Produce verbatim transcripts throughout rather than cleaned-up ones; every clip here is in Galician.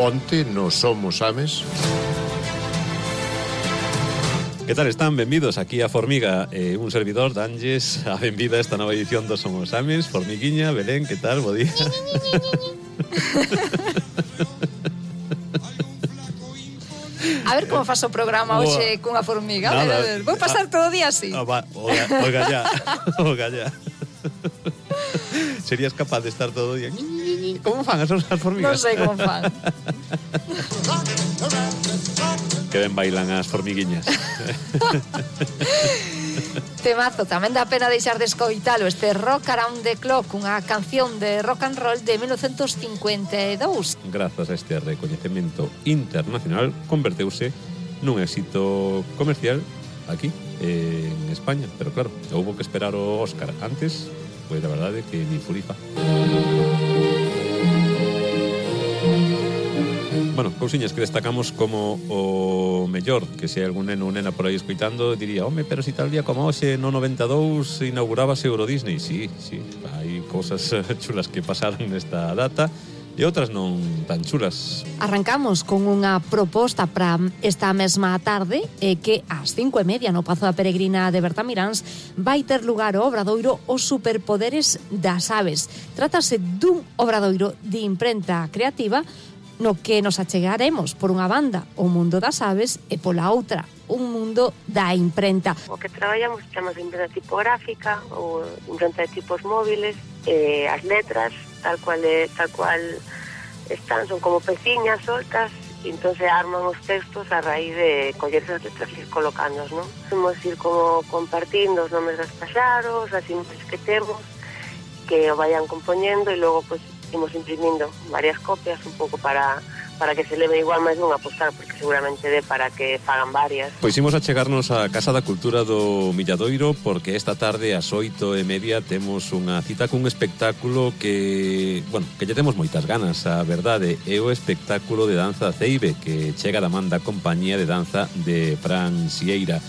Onte no Somos Ames. Que tal están? Benvidos aquí a Formiga, eh, un servidor danlles a benvida a esta nova edición do Somos Ames. Formiguiña, Belén, que tal? Bo día. A ver como faz o programa hoxe cunha formiga. A ver, a ver, vou pasar todo o día así. Ah, va, oga, oga ya, oga ya. Serías capaz de estar todo o día? Como fan as formigas? Non sei como fan. Que ben bailan as formiguiñas. Temazo, tamén dá pena deixar de escoitalo, este Rock Around the Clock, unha canción de rock and roll de mil novecentos cincuenta e dous. Grazas a este recoñecemento internacional, converteuse nun éxito comercial aquí, en España. Pero claro, houbo que esperar o Óscar antes, pois a verdade que ni furifa. Bueno, cousiñas que destacamos como o mellor, que se hai algún neno ou nena por aí escoitando, diría, home, pero si tal día como hoxe no noventa e dous inaugurábase Euro Disney. Sí, sí, hai cousas chulas que pasaron nesta data e outras non tan chulas. Arrancamos con unha proposta para esta mesma tarde, eh, que ás cinco e media no Pazo da Peregrina de Bertamiráns vai ter lugar o obradoiro Os Superpoderes das Aves. Trátase dun obradoiro de imprenta creativa no que nos achegaremos por unha banda o mundo das aves e pola outra un mundo da imprenta. O que traballamos chamamos de imprenta tipográfica ou imprenta de tipos móviles, eh, as letras tal cual é, tal cual están, son como peciñas soltas, e entón se arman os textos a raíz de coller esas letras e ir colocándoos, non? Vamos ir como compartindo os nomes dos paxaros, as imaxes que temos, que o vayan compoñendo e logo, pois, imos imprimindo varias copias un pouco para para que se leve igual máis dunha postal, porque seguramente dé para que fagan varias. Pois imos a chegarnos á Casa da Cultura do Milladoiro, porque esta tarde ás oito e media temos unha cita cun espectáculo que, bueno, que lle temos moitas ganas, a verdade, é o espectáculo de danza Ceibe, que chega da man da compañía de danza de Fran Sieira.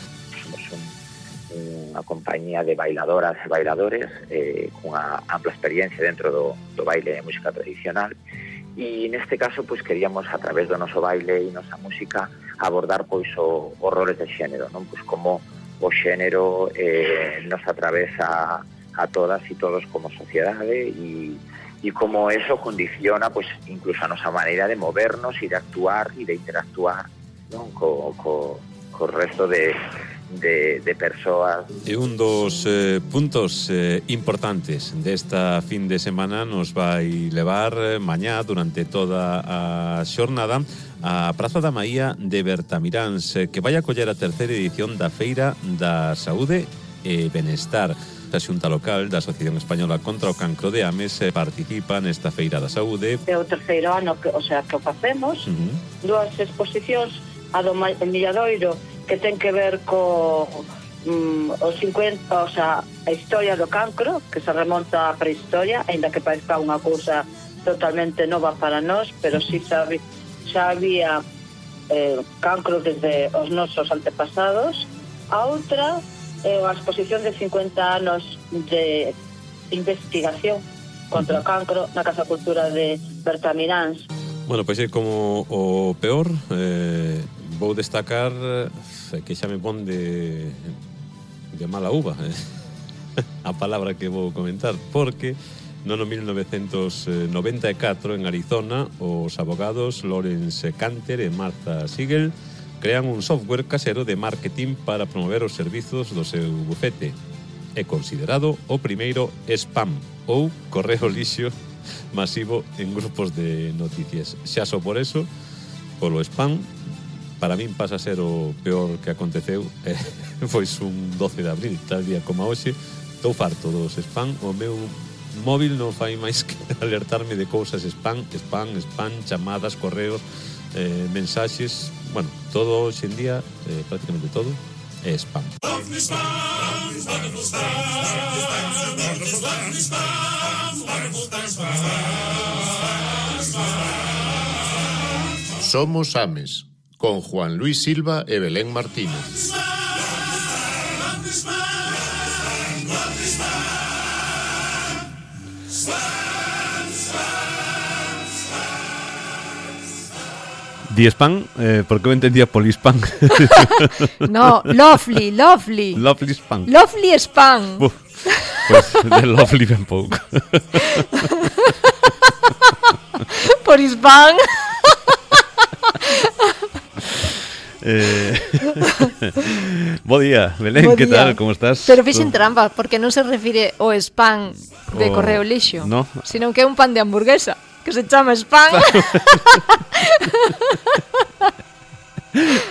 Unha compañía de bailadoras e bailadores eh, cunha ampla experiencia dentro do, do baile e música tradicional, e neste caso pois queríamos a través do noso baile e nosa música abordar pois o horrores de xénero, non? Pois como o xénero eh, nos atravesa a todas e todos como sociedade e, e como eso condiciona pois incluso a nosa maneira de movernos e de actuar e de interactuar, non? Co, co, co resto de De, de persoas. E un dos eh, puntos eh, importantes desta fin de semana nos vai levar eh, mañá durante toda a xornada a Praza da Maía de Bertamiráns, eh, que vai acoller a terceira edición da Feira da Saúde e Benestar. A Xunta Local da Asociación Española contra o Cancro de Ames eh, participa nesta Feira da Saúde. É o terceiro ano que, o sea, que o facemos, uh-huh. Dúas exposicións, a do Milladoiro, que ten que ver co um, os cincuenta, o sea, a historia do cancro, que se remonta á prehistoria, aínda que parezca unha cousa totalmente nova para nós, pero si xa, xa había eh, cancro desde os nosos antepasados. A outra é eh, a exposición de cincuenta anos de investigación contra o cancro na Casa Cultura de Bertamiráns. Bueno, pois é como o peor, eh, vou destacar que xa me pon de, de mala uva a palabra que vou comentar, porque no ano mil novecentos noventa e catro en Arizona os abogados Lawrence Canter e Martha Siegel crean un software casero de marketing para promover os servizos do seu bufete. É considerado o primeiro spam ou correo lixo masivo en grupos de noticias. Xa só por eso, polo spam, para min pasa a ser o peor que aconteceu. Eh, pois un doce de abril, tal día como hoxe, estou farto dos spam. O meu móvil non fai máis que alertarme de cousas spam, spam, spam, chamadas, correos, eh, mensaxes. Bueno, todo hoxe en día, eh, prácticamente todo, é spam. Somos Ames, con Juan Luis Silva e Belén Martínez. Diespan, eh, porque eu entendía Polispan. No, lovely, lovely. Lovely Span. Lovely Span. Uf, pues de lovely ben pouco. Por Span. Eh, bo día, Belén, Bo que día. tal? Como estás? Pero fixen trampa, porque non se refire ao spam de O- correo lixo, no. sino que é un pan de hamburguesa, que se chama spam.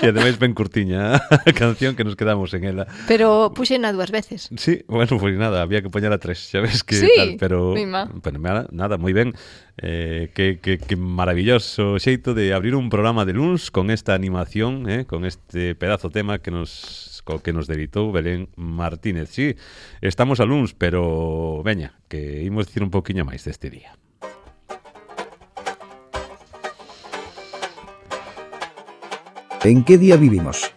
E ademais ben curtiña a canción que nos quedamos en ela. Pero puxena dúas veces. Sí, bueno, pues nada, había que poñer a tres, xa ves que Sí, tal, pero, mima. pero nada, nada, moi ben. Eh, que, que, que maravilloso xeito de abrir un programa de luns con esta animación, eh, con este pedazo tema que nos co que nos deditou Belén Martínez. Sí, estamos a luns, pero veña, que imos dicir un poquinho máis deste día. ¿En qué día vivimos?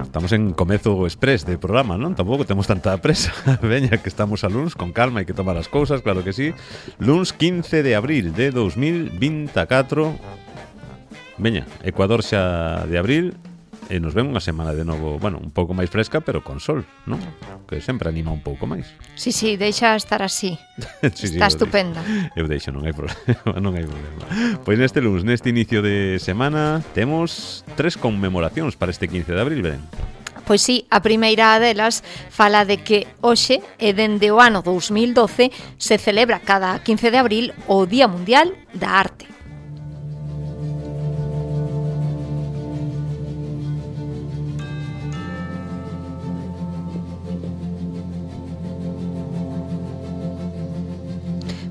Estamos en comezo express de programa, non? Tampouco temos tanta presa. Veña, que estamos a luns, con calma, hai que tomar as cousas, claro que sí. Luns quince de abril de dos mil veinticuatro. Veña, Ecuador xa de abril. E nos ven unha semana de novo, bueno, un pouco máis fresca, pero con sol, non? Que sempre anima un pouco máis. Sí, sí, deixa estar así. Sí, Está sí, eu estupenda. deixo. Eu deixo, non hai problema, non hai problema. Pois neste luns, neste inicio de semana, temos tres conmemoracións para este quince de abril, ben? Pois sí, a primeira delas fala de que hoxe e dende o ano dous mil doce se celebra cada quince de abril o Día Mundial da Arte.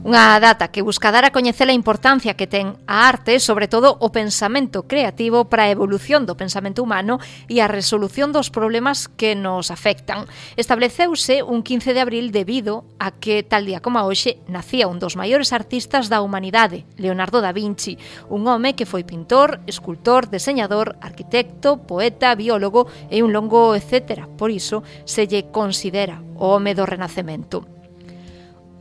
Unha data que busca dar a coñecer a importancia que ten a arte, sobre todo o pensamento creativo para a evolución do pensamento humano e a resolución dos problemas que nos afectan. Estableceuse un quince de abril debido a que, tal día como hoxe, nacía un dos maiores artistas da humanidade, Leonardo da Vinci, un home que foi pintor, escultor, deseñador, arquitecto, poeta, biólogo e un longo etcétera. Por iso, se lle considera o home do Renacemento.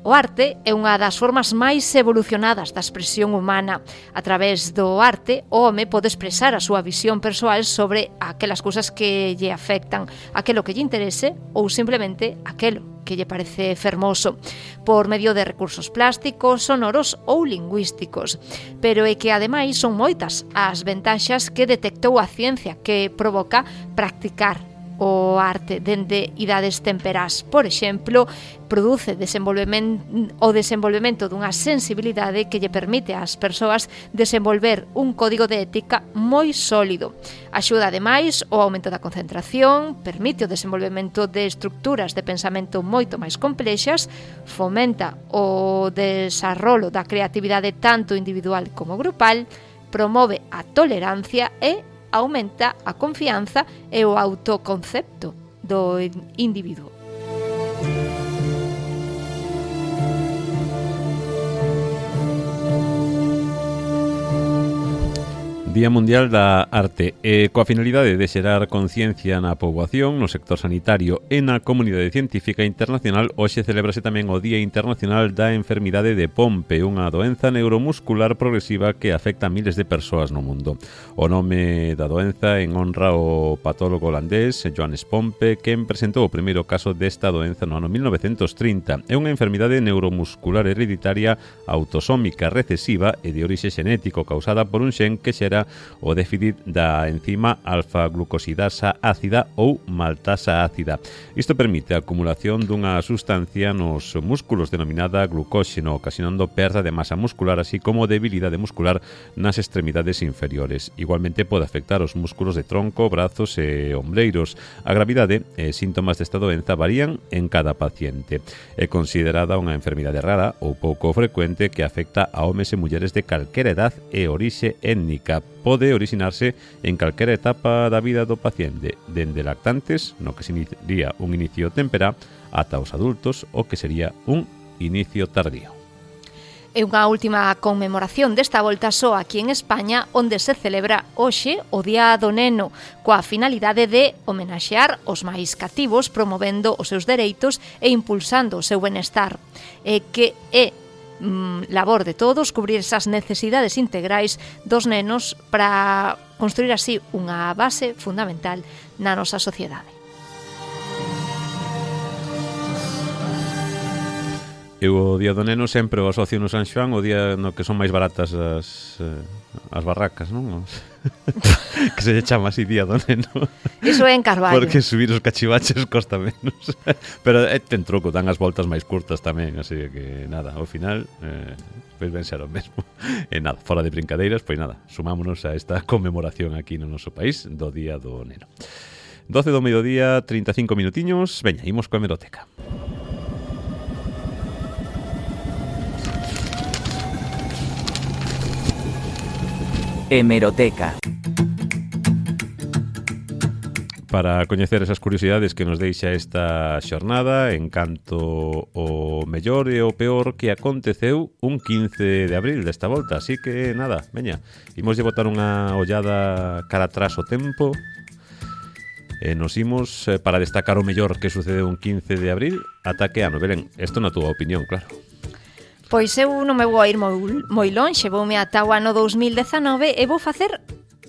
O arte é unha das formas máis evolucionadas da expresión humana. A través do arte, o home pode expresar a súa visión persoal sobre aquelas cousas que lle afectan, aquelo que lle interese ou simplemente aquelo que lle parece fermoso, por medio de recursos plásticos, sonoros ou lingüísticos. Pero é que, ademais, son moitas as ventaxas que detectou a ciencia que provoca practicar o arte dende idades temperás. Por exemplo, produce desenvolvemento, o desenvolvemento dunha sensibilidade que lle permite ás persoas desenvolver un código de ética moi sólido. Axuda ademais o aumento da concentración, permite o desenvolvemento de estructuras de pensamento moito máis complexas, fomenta o desarrollo da creatividade tanto individual como grupal, promove a tolerancia e aumenta a confianza e o autoconcepto do individuo. Día Mundial da Arte e coa finalidade de xerar conciencia na poboación, no sector sanitario e na comunidade científica internacional, hoxe celebrase tamén o Día Internacional da Enfermidade de Pompe, unha doenza neuromuscular progresiva que afecta a miles de persoas no mundo. O nome da doenza en honra ao patólogo holandés Johannes Pompe, quen presentou o primeiro caso desta doenza no ano mil novecentos trinta. É unha enfermidade neuromuscular hereditaria autosómica recesiva e de orixe xenético causada por un xen que xera o déficit da enzima alfa-glucosidasa ácida ou maltasa ácida. Isto permite a acumulación dunha sustancia nos músculos denominada glucóxeno, ocasionando perda de masa muscular, así como debilidade muscular nas extremidades inferiores. Igualmente pode afectar os músculos de tronco, brazos e ombreiros. A gravidade e síntomas desta doenza varían en cada paciente. É considerada unha enfermidade rara ou pouco frecuente que afecta a homes e mulleres de calquera edad e orixe étnica. Pode originarse en calquera etapa da vida do paciente, dende lactantes, no que sería un inicio temperá, ata os adultos, o que sería un inicio tardío. É unha última conmemoración desta volta só aquí en España, onde se celebra hoxe o Día do Neno, coa finalidade de homenaxear os máis cativos, promovendo os seus dereitos e impulsando o seu benestar. E que é mm, labor de todos cubrir esas necesidades integrais dos nenos para construir así unha base fundamental na nosa sociedade. Eu o día do neno sempre o asocio no San Xoán o día no que son máis baratas as, as barracas, non? Que se lle chama así día do neno. Iso é en Carballo. Porque subir os cachivaches costa menos. Pero é, ten truco, dan as voltas máis curtas tamén, así que nada, ao final eh, pois ben ser o mesmo. E nada, fora de brincadeiras, pois nada, sumámonos a esta conmemoración aquí no noso país do día do neno. doce do mediodía, trinta e cinco minutiños. Veña, imos coa hemeroteca. Hemeroteca. Para coñecer esas curiosidades que nos deixa esta xornada en canto o mellor e o peor que aconteceu un quince de abril desta volta. Así que, nada, veña, imos de botar unha ollada cara atrás o tempo e nos imos eh, para destacar o mellor que sucedeu un quince de abril ata que ano. Belén, isto na túa opinión, claro. Pois eu non me vou a ir moi, moi lonxe, voume ata o ano dous mil dezanove e vou facer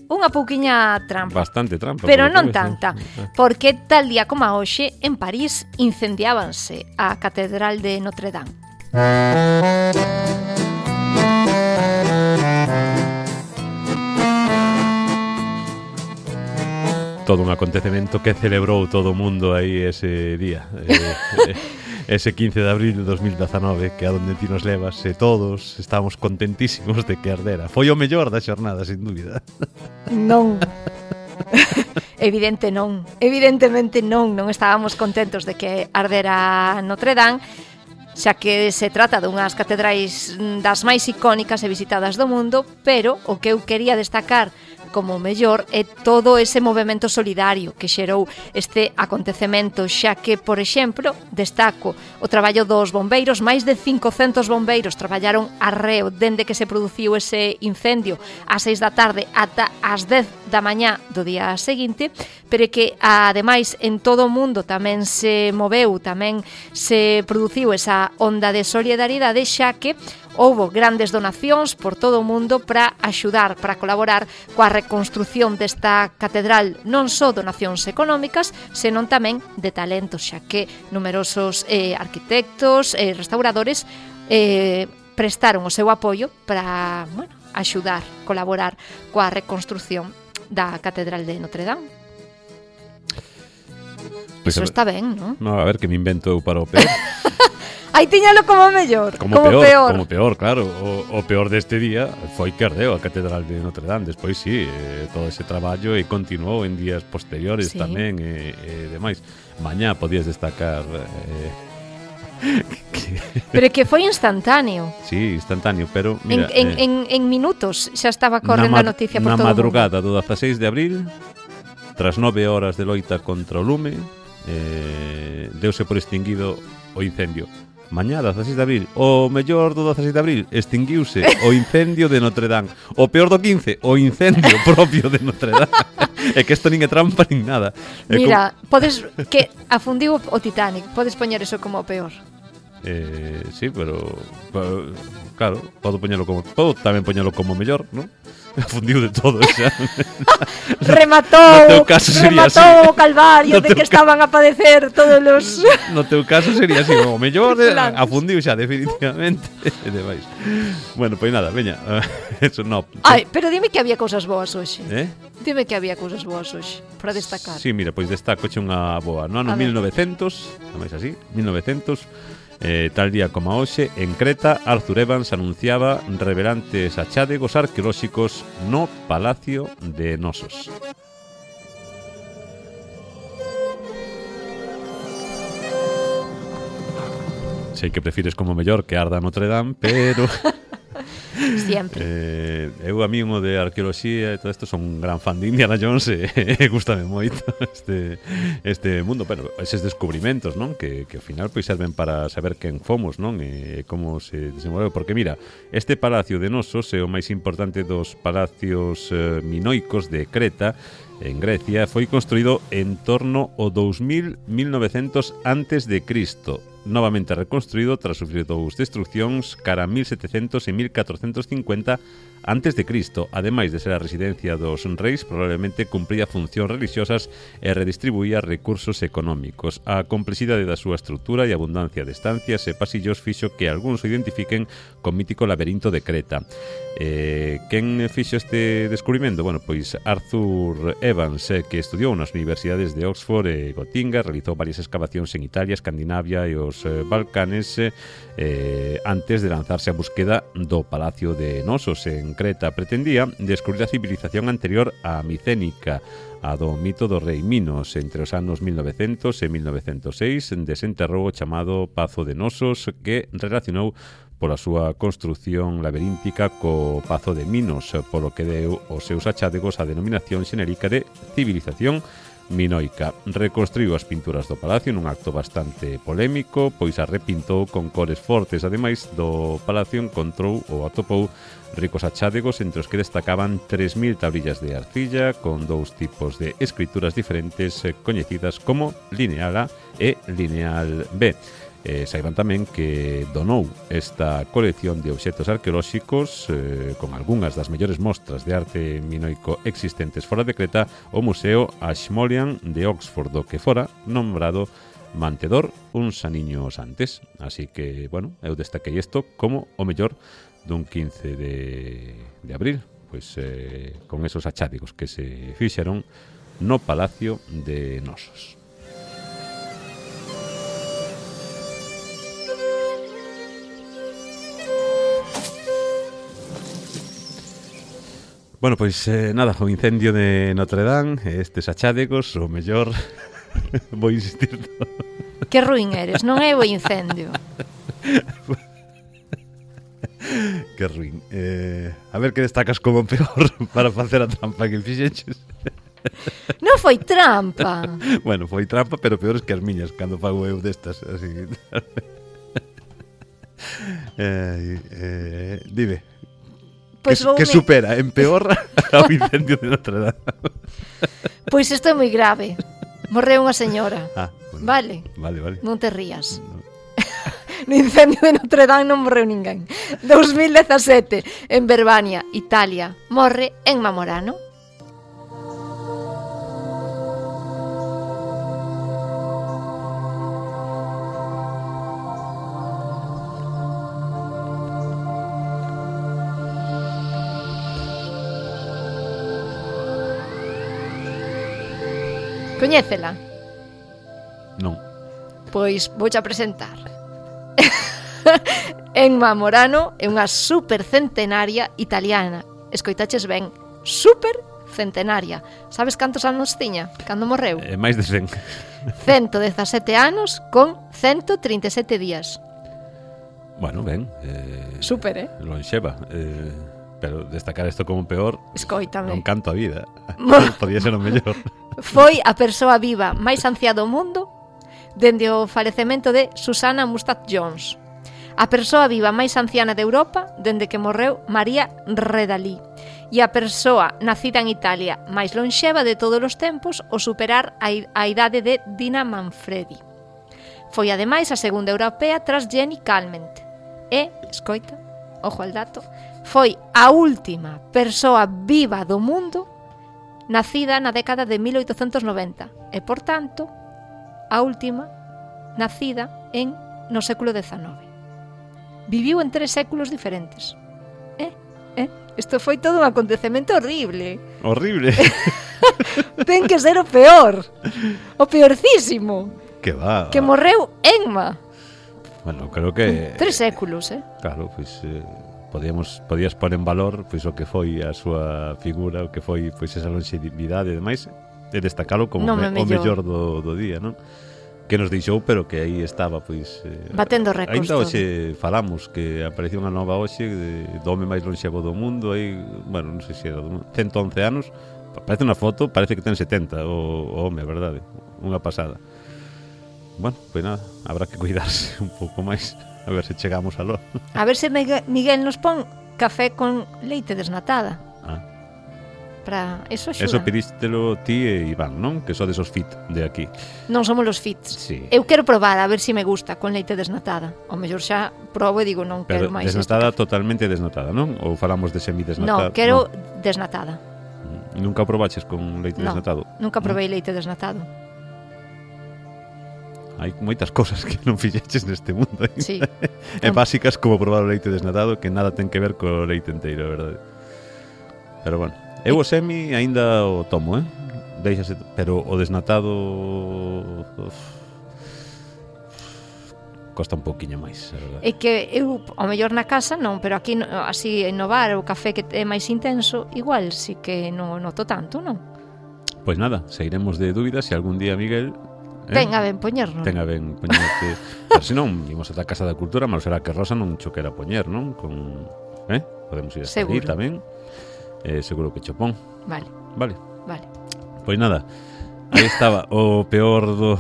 unha pouquiña trampa. Bastante trampa. Pero non tanta, porque tal día como a hoxe, en París, incendiábanse a Catedral de Notre Dame. Todo un acontecemento que celebrou todo o mundo aí ese día. eh, ese quince de abril de dos mil dezanove, que a donde ti nos levas, e todos estábamos contentísimos de que ardera. Foi o mellor da xornada, sin dúbida. Non. Evidente non. Evidentemente non. Non estábamos contentos de que ardera Notre Dame, xa que se trata dunhas catedrais das máis icónicas e visitadas do mundo, pero o que eu quería destacar como mellor é todo ese movemento solidario que xerou este acontecemento, xa que, por exemplo, destaco o traballo dos bombeiros. Máis de cincocentos bombeiros traballaron arreo dende que se produciu ese incendio ás seis da tarde ata ás dez da mañá do día seguinte, pero que, ademais, en todo o mundo tamén se moveu, tamén se produciu esa onda de solidariedade, xa que houbo grandes donacións por todo o mundo para axudar, para colaborar coa reconstrución desta catedral, non só donacións económicas, senón tamén de talentos, xa que numerosos eh, arquitectos e eh, restauradores eh, prestaron o seu apoio para, bueno, axudar, colaborar coa reconstrución da catedral de Notre Dame. Pues Iso está ben, non? No, a ver, que me invento eu para o peor. Aí tiñalo como mellor, como, como peor, peor. Como peor, claro. O, o peor deste día foi que ardeu a Catedral de Notre Dame. Despois, sí, eh, todo ese traballo e continuou en días posteriores sí. tamén e, e demais. Mañá podías destacar... Eh, que... Pero que foi instantáneo. Sí, instantáneo, pero... Mira, en, en, eh, en, en minutos xa estaba correndo a noticia por todo o mundo. Na madrugada do dezaseis de abril, tras nove horas de loita contra o lume, eh, deuse por extinguido o incendio. Mañá, dezaseis de abril, o mellor do dezaseis de abril, extinguiuse o incendio de Notre Dame. O peor do quince, o incendio propio de Notre Dame. É que isto nin é trampa nin nada. É Mira, como... podes que afundiu o Titanic, podes poñer eso como o peor. Eh, sí, pero, pero claro, podo poñelo como podo tamén poñelo como mellor, ¿no? Afundiu de todo xa. Rematou, no caso rematou o calvario no de que caso... estaban a padecer todos os... No teu caso sería así, o mellor de... afundiu xa definitivamente e demais. Bueno, pois nada, veña, eso no. Ai, pero dime que había cousas boas hoxe. Eh? Dime que había cousas boas hoxe para destacar. Sí, mira, pois destaco che unha boa. No ano mil novecentos, non así, mil novecentos, Eh, tal día como hoxe, en Creta, Arthur Evans anunciaba revelantes achádegos arqueolóxicos no Palacio de Nosos. Sei que prefires como mellor que arda Notre Dame, pero... Siempre. Eh, eu a mí o de arqueoloxía e todo isto son un gran fan de Indiana Jones e, e gustame moito este, este mundo, bueno, eses descubrimentos, non? Que, que ao final pois serven para saber quen fomos, non? E como se desenvolveu, porque mira, este Palacio de Nosos é o máis importante dos palacios eh, minoicos de Creta, en Grecia, foi construído en torno ao dous mil, mil novecentos antes de Cristo. novamente reconstruído tras sufrir dous destruccións cara a mil setecentos e mil catrocentos cincuenta antes de Cristo. Ademais de ser a residencia dos reis, probablemente cumpría funcións religiosas e redistribuía recursos económicos. A complexidade da súa estrutura e abundancia de estancias e pasillos fixo que algúns o identifiquen co mítico laberinto de Creta. Eh, quen fixo este descubrimento? Bueno, pois Arthur Evans, eh, que estudiou nas universidades de Oxford e Gotinga, realizou varias excavacións en Italia, Escandinavia e os eh, Balcanes eh, antes de lanzarse a búsqueda do Palacio de Nosos en Creta. Pretendía descubrir a civilización anterior á micénica, a do mito do rei Minos. Entre os anos mil novecentos e mil novecentos e seis desenterrou o chamado Pazo de Nosos, que relacionou pola súa construción laberíntica co Pazo de Minos, polo que deu os seus achádegos a denominación xenérica de civilización minoica. Reconstruiu as pinturas do palacio nun acto bastante polémico, pois as repintou con cores fortes. Ademais do palacio encontrou ou atopou ricos achádegos, entre os que destacaban tres mil tablillas de arcilla con dous tipos de escrituras diferentes coñecidas como lineal A e lineal B. Eh, saiban tamén que donou esta colección de obxectos arqueolóxicos eh, con algunhas das mellores mostras de arte minoico existentes fora de Creta o Museo Ashmolean de Oxford, do que fora nombrado mantedor uns aniños antes. Así que, bueno, eu destaquei isto como o mellor dun quince de, de abril, pois eh, con esos achádegos que se fixeron no Palacio de Nosos. Bueno, pois eh, nada, o incendio de Notre Dame, estes achádegos, o mellor, vou insistir. Que ruín eres, non é o incendio. Que ruín. Eh, a ver que destacas como peor para facer a trampa que fixeches. Non foi trampa. Bueno, foi trampa, pero peores que as miñas cando fago eu destas, así. eh, eh, dime. Pois que, que me... supera en peor ao incendio de Notre Dame. Pois isto é moi grave. Morreu unha señora. Ah, bueno. Vale. Vale, vale. Non te rías. No. No incendio de Notre Dame non morreu ninguén. dos mil dezasete, en Verbania, Italia, morre Emma Morano. Coñécela? Non. Pois vouche a presentar. Emma Morano é unha supercentenaria italiana. Escoitaches ben, supercentenaria. Sabes cantos anos tiña cando morreu? Eh, máis de cen. ciento dezasete anos con ciento trinta e sete días. Bueno, ben. Eh, Super, eh? Lonxeva. Eh, pero destacar isto como peor... Escoítame. Non canto a vida. Podía ser o mellor. Foi a persoa viva máis anciá do mundo dende o falecemento de Susana Mustat Jones. A persoa viva máis anciana de Europa dende que morreu María Redalí. E a persoa nacida en Italia máis lonxeva de todos os tempos ao superar a, a idade de Dina Manfredi. Foi ademais a segunda europea tras Jenny Calment. E, escoita, ojo al dato, foi a última persoa viva do mundo nacida na década de mil oitocentos noventa e, por tanto, a última nacida en no século dezanove. Viviu en tres séculos diferentes. Eh, eh, isto foi todo un acontecemento horrible. Horrible. Ten que ser o peor. O peorcísimo. Que va. Que morreu Emma. Bueno, creo que... Tres séculos, eh? Claro, pois... Eh... Podíamos, podías pôr en valor pois o que foi a súa figura, o que foi pois esa longevidade e demais, e destacalo como me, o mellor do, do día, non? Que nos deixou, pero que aí estaba pois eh, batendo récords. Ainda hoxe falamos que apareceu unha nova hoxe de, do home máis lonxevo do mundo, aí, bueno, non sei se era ciento once anos, parece unha foto, parece que ten setenta o, o home, verdade? Unha pasada. Bueno, pois nada, habrá que cuidarse un pouco máis. A ver se chegamos a lo. A ver se Miguel nos pon café con leite desnatada. Ah. para eso axuda. Eso pedístelo ti e Iván, non? Que sodes os fit de aquí. Non somos los fits. Sí. Eu quero probar a ver se si me gusta con leite desnatada. O mellor xa probo e digo non Pero quero máis. desnatada, totalmente desnatada, non? Ou falamos de semidesnatada? No, quero no. desnatada. E nunca probaches con leite no, desnatado? Nunca probei no? leite desnatado. Hai moitas cosas que non fixeches neste mundo. Eh? Sí. E básicas como probar o leite desnatado que nada ten que ver co leite enteiro, verdade? Pero bueno, eu o semi aínda o tomo, eh? Deixase, pero o desnatado uf, costa un pouquiño máis, a verdade. É que eu, ao mellor na casa non, pero aquí así en no bar o café que é máis intenso, igual sí que non noto tanto, non? Pois nada, seguiremos de dúbidas se algún día Miguel eh? Tenga ben poñernos. Tenga ben poñerte. Pero se non, imos ata a Casa da Cultura, mas será que Rosa non cho quera poñer, non? Con, eh? Podemos ir hasta allí tamén. Eh, seguro que chopón. Vale. Vale. Vale. Pois nada, aí estaba o peor do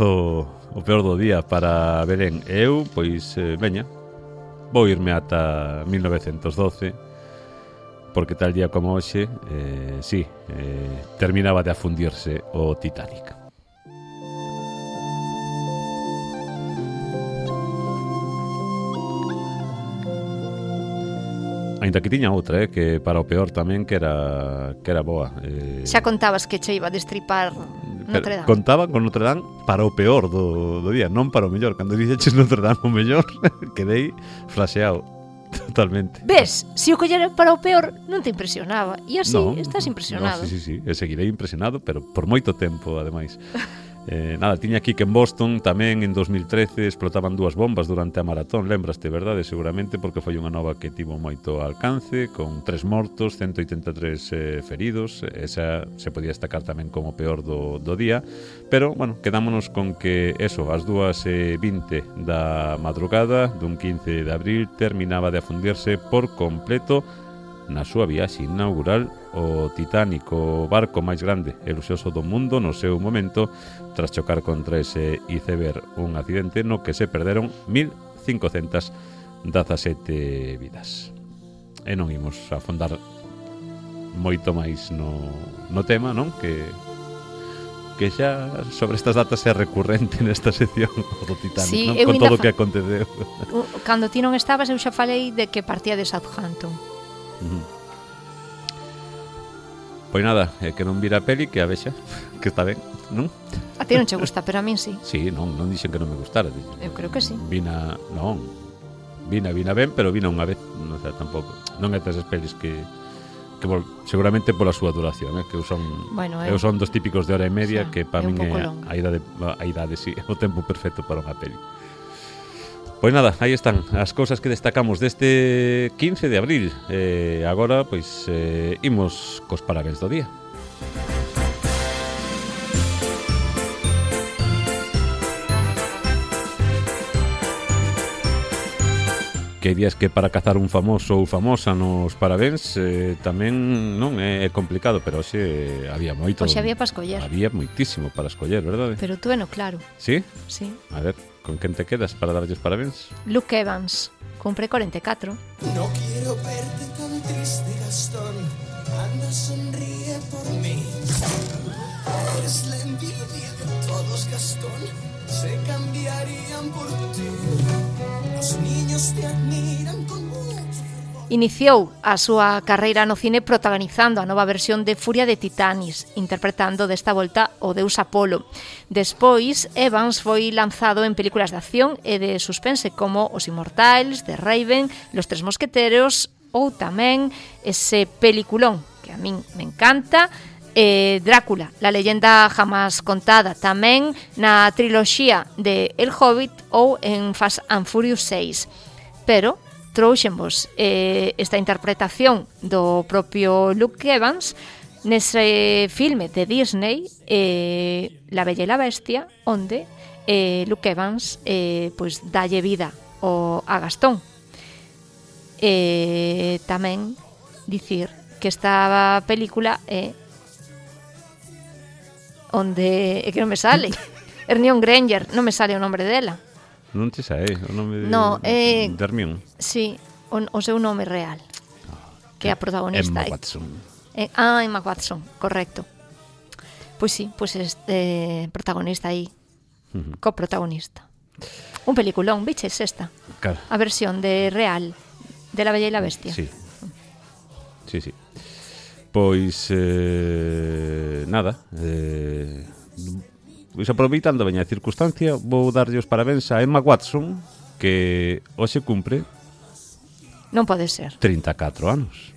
o peor do día para Belén. Eu, pois, eh, veña, vou irme ata mil novecentos doce, porque tal día como hoxe, eh, sí, eh, terminaba de afundirse o Titanic. Ainda que tiña outra, eh, que para o peor tamén, que era que era boa. Eh, Xa contabas que che iba a destripar Notre Dame. Contaba con Notre Dame para o peor do, do día, non para o mellor. Cando dixeches Notre Dame o mellor, quedei flasheado totalmente. Ves, se o collera para o peor non te impresionaba. E así no, estás impresionado. No, sí, sí, sí, e seguirei impresionado, pero por moito tempo, ademais. Eh, nada, tiña aquí que en Boston tamén en dos mil trece explotaban dúas bombas durante a maratón, lembraste, verdade? Seguramente porque foi unha nova que tivo moito alcance, con tres mortos, ciento oitenta e tres eh, feridos. Esa se podía destacar tamén como peor do, do día, pero, bueno, quedámonos con que eso, ás dúas e vinte da madrugada dun quince de abril terminaba de afundirse por completo na súa viaxe inaugural o Titanic, o barco máis grande e luxoso do mundo no seu momento, tras chocar contra ese iceberg, un accidente no que se perderon mil cincocentas dezasete vidas. E non imos afondar moito máis no, no tema, non? Que que xa sobre estas datas é recurrente nesta sección do Titanic, sí, non? Con todo o fa... que aconteceu. Cando ti non estabas, eu xa falei de que partía de Southampton. Uh-huh. Pois nada, é que non vira a peli, que a vexa, que está ben, non? A ti non che gusta, pero a min sí. Sí, non, non dixen que non me gustara. Eu creo que sí. Vina, non, vina, vina ben, pero vina unha vez, non sei, tampouco. Non é esas pelis que, que vol, seguramente pola súa duración, eh, que eu son, bueno, eu, eu son dos típicos de hora e media, xa, que para min é longa. a idade, a idade, sí, o tempo perfecto para unha peli. Pois nada, aí están as cousas que destacamos deste quince de abril. Eh, agora, pois, eh, imos cos parabéns do día. Que días que para cazar un famoso ou famosa nos parabéns eh, tamén non é complicado, pero hoxe había moito. Hoxe había para escoller. Había moitísimo para escoller, verdade? Pero tú eno claro. Sí? Sí. A ver, con quen te quedas para darlles parabéns? Luke Evans, cumpre cuarenta e catro. No quiero verte tan triste, Gastón. Anda, sonríe por mí. Eres la envidia de todos, Gastón. Se cambiarían por ti. Los niños te admiran con mucho fervor. Iniciou a súa carreira no cine protagonizando a nova versión de Furia de Titanis, interpretando desta volta o deus Apolo. Despois, Evans foi lanzado en películas de acción e de suspense como Os Inmortais, The Raven, Los Tres Mosqueteros ou tamén ese peliculón que a min me encanta, Eh, Drácula, la leyenda jamás contada, tamén na triloxía de El Hobbit ou en Fast and Furious seis. Pero trouxenvos eh, esta interpretación do propio Luke Evans nese filme de Disney, eh, La Bella e la Bestia, onde eh, Luke Evans eh, pois dalle vida o, a Gastón. Eh, tamén dicir que esta película é eh, onde é que non me sale Hermione Granger, non me sale o nombre dela. Non te sae o nome de, no, eh, de Hermione? Sí, o, o seu nome real, que é a protagonista. Emma Watson. Eh, ah, Emma Watson, correcto. Pois sí, pois este protagonista aí, uh-huh. coprotagonista. Un peliculón, biches esta? Claro. A versión de real de La Bella y la Bestia. Sí. Sí, sí. Pois, eh, nada, eh, pois aproveitando a veña circunstancia, vou darlle os parabéns a Emma Watson, que hoxe cumpre... Non pode ser. trinta e catro anos.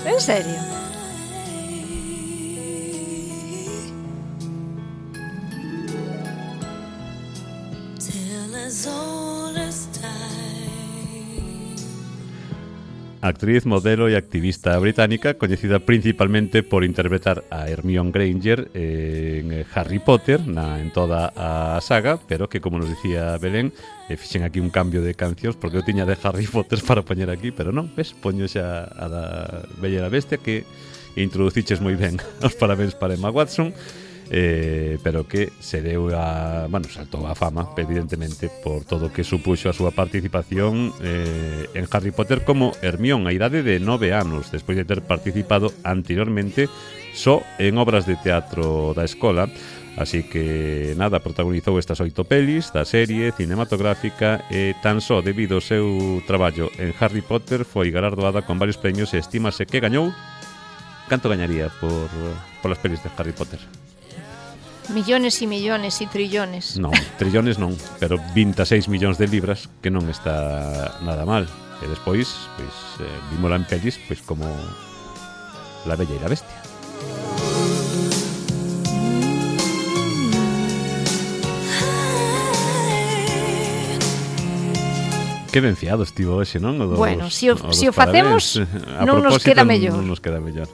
En serio? Actriz, modelo e activista británica, coñecida principalmente por interpretar a Hermione Granger en Harry Potter, na, en toda a saga, pero que, como nos dicía Belén, eh, fixen aquí un cambio de cancións, porque eu tiña de Harry Potter para poñer aquí, pero non, ves, poño xa a da Bella e a Bestia, que introduciches moi ben. Os parabéns para Emma Watson, eh, pero que se deu a, bueno, saltou a fama, evidentemente, por todo o que supuxo a súa participación eh, en Harry Potter como Hermione a idade de nove anos, despois de ter participado anteriormente só en obras de teatro da escola. Así que, nada, protagonizou estas oito pelis da serie cinematográfica e tan só debido ao seu traballo en Harry Potter foi galardoada con varios premios e estímase que gañou. Canto gañaría por, por las pelis de Harry Potter? Millones e millones e trillones. Non, trillones non, pero vinte e seis millóns de libras, que non está nada mal. E despois, pois, eh, vímola en pelis, pois como La Bella e la Bestia. Que ben fiado estivo hoxe, non? O dos, bueno, se si o, si o facemos, non nos queda mellor. Non nos queda mellor.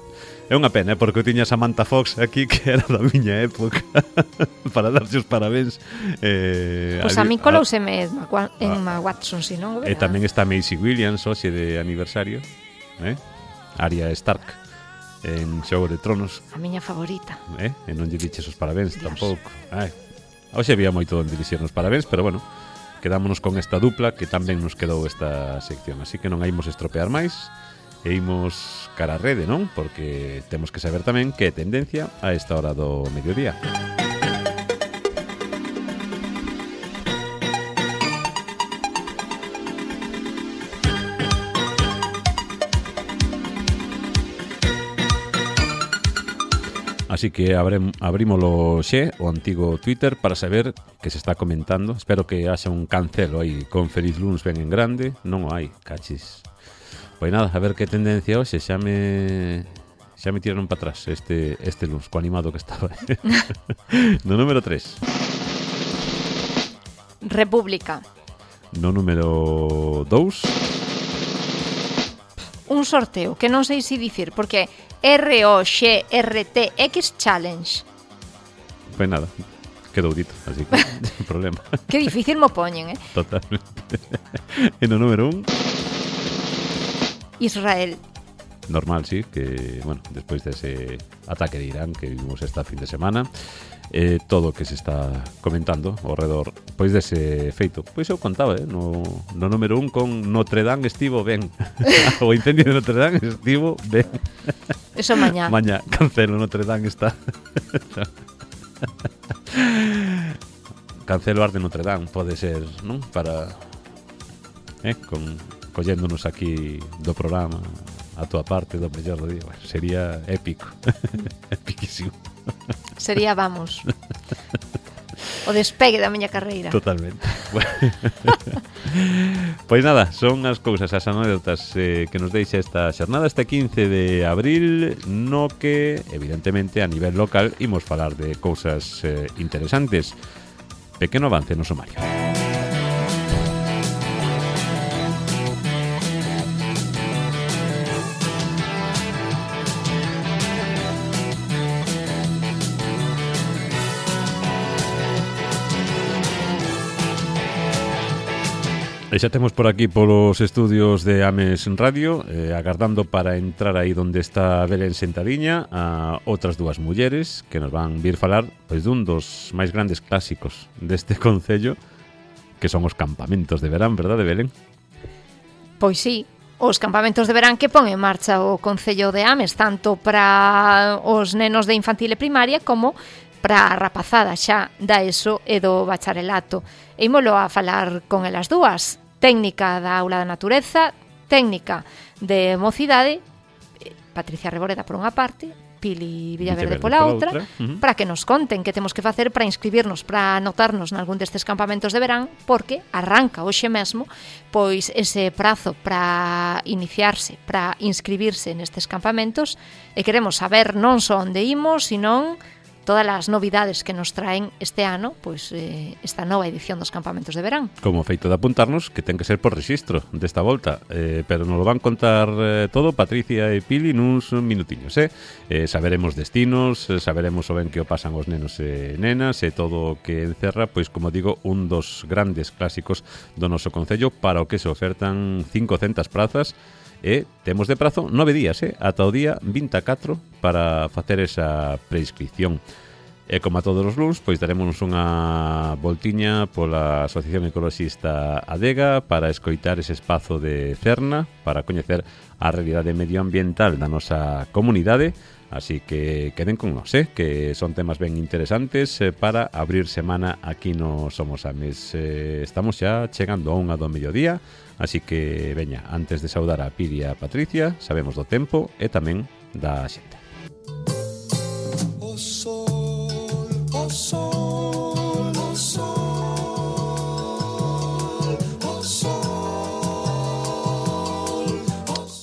É unha pena, eh, porque eu tiña Samantha Fox aquí, que era da miña época, para darse os parabéns. Eh, pois pues a, a mí colouseme en Emma Watson, si non? E tamén está Maisie Williams, hoxe de aniversario, eh? Arya Stark, en Xogo de Tronos. A miña favorita. Eh? E non lle diches os parabéns, Dios. tampouco. Ai. Hoxe había moito onde dixernos parabéns, pero bueno, quedámonos con esta dupla que tamén nos quedou esta sección, así que non a imos estropear máis. E imos cara a rede, non? Porque temos que saber tamén que é tendencia a esta hora do mediodía. Así que abrem, abrímolo xe, o antigo Twitter, para saber que se está comentando. Espero que haxa un cancelo aí con Feliz Luns ben en grande. Non o hai, cachis. Pois nada, a ver que tendencia hoxe, xa me xa me tiraron para atrás este este luns, co animado que estaba. No número tres. República. No número dous. Un sorteo que non sei se dicir, porque R O X R T X Challenge. Pois nada, quedou dito, así que non problema. Que difícil mo poñen, eh? Totalmente. E no número un. Israel. Normal, sí, que, bueno, despois dese ataque de Irán que vimos esta fin de semana, eh, todo o que se está comentando ao redor, pois dese feito. Pois eu contaba, eh, no, no número un con Notre Dame estivo ben. O incendio de Notre Dame estivo ben. Eso mañá. Mañá, cancelo, Notre Dame está. Cancelo Arte Notre Dame, pode ser, non? Para, eh, con... colléndonos aquí do programa a tua parte do mellor do día, bueno, sería épico. Epiquísimo. Sería, vamos, o despegue da miña carreira. Totalmente. Pois nada, son as cousas, as anécdotas eh, que nos deixa esta xornada, este quince de abril, no que, evidentemente, a nivel local imos falar de cousas eh, interesantes. Pequeno avance no sumario. E xa temos por aquí polos estudios de Ames Radio, eh, agardando para entrar aí onde está Belén sentadiña a outras dúas mulleres que nos van vir falar pois dun dos máis grandes clásicos deste concello, que son os campamentos de verán, verdade, Belén? Pois sí, os campamentos de verán que pon en marcha o Concello de Ames, tanto para os nenos de infantil e primaria como para a rapazada xa da ESO e do bacharelato. E ímolo a falar con elas dúas, técnica da aula da natureza, técnica de mocidade, Patricia Reboreda por unha parte, Pili Villaverde pola outra, uh-huh. para que nos conten que temos que facer para inscribirnos, para anotarnos nalgún destes campamentos de verán, porque arranca hoxe mesmo pois ese prazo para iniciarse, para inscribirse nestes campamentos, e queremos saber non só onde imos, senón todas as novidades que nos traen este ano, pois eh, esta nova edición dos campamentos de verán. Como feito de apuntarnos, que ten que ser por rexistro desta volta, eh, pero nos lo van contar eh, todo Patricia e Pili nuns minutiños, eh? eh saberemos destinos, eh, saberemos o ben que o pasan os nenos e nenas, e todo o que encerra, pois como digo, un dos grandes clásicos do noso concello, para o que se ofertan cincocentas prazas, e temos de prazo nove días, eh, ata o día vinte e catro para facer esa preinscripción. E como a todos os luns, pois daremos unha voltiña pola Asociación Ecoloxista Adega para escoitar ese espazo de Cerna, para coñecer a realidade medioambiental da nosa comunidade. Así que queden con nós, eh, que son temas ben interesantes eh, para abrir semana aquí no Somos Ames. Eh, estamos xa chegando a unha do mediodía, así que, veña, antes de saudar a Pili e a Patricia, sabemos do tempo e tamén da xente. O sol, o sol, o sol, o sol.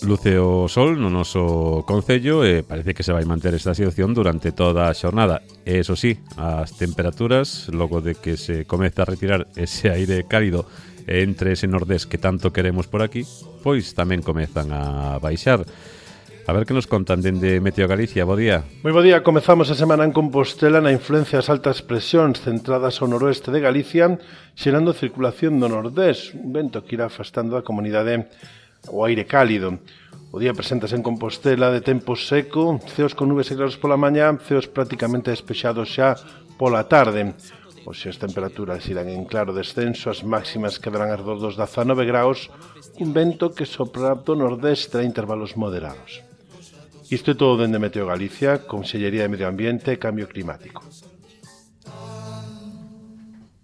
Luce o sol no noso concello e parece que se vai manter esta situación durante toda a xornada. E, eso sí, as temperaturas, logo de que se comeza a retirar ese aire cálido entre ese nordés que tanto queremos por aquí, pois tamén comezan a baixar. A ver que nos contan dende Meteo Galicia. Bo día. Moi bo día. Comezamos a semana en Compostela na influencia das altas presións centradas ao noroeste de Galicia, xerando circulación do nordés, un vento que irá afastando a comunidade o aire cálido. O día preséntase en Compostela de tempo seco, ceos con nubes e claros pola mañá, ceos prácticamente despexados xa pola tarde. Hoxe as temperaturas irán en claro descenso, as máximas quedarán arredor dos dezanove graus, un vento que sopra do nordés terá intervalos moderados. Isto é todo dende Meteo Galicia, Consellería de Medio Ambiente e Cambio Climático.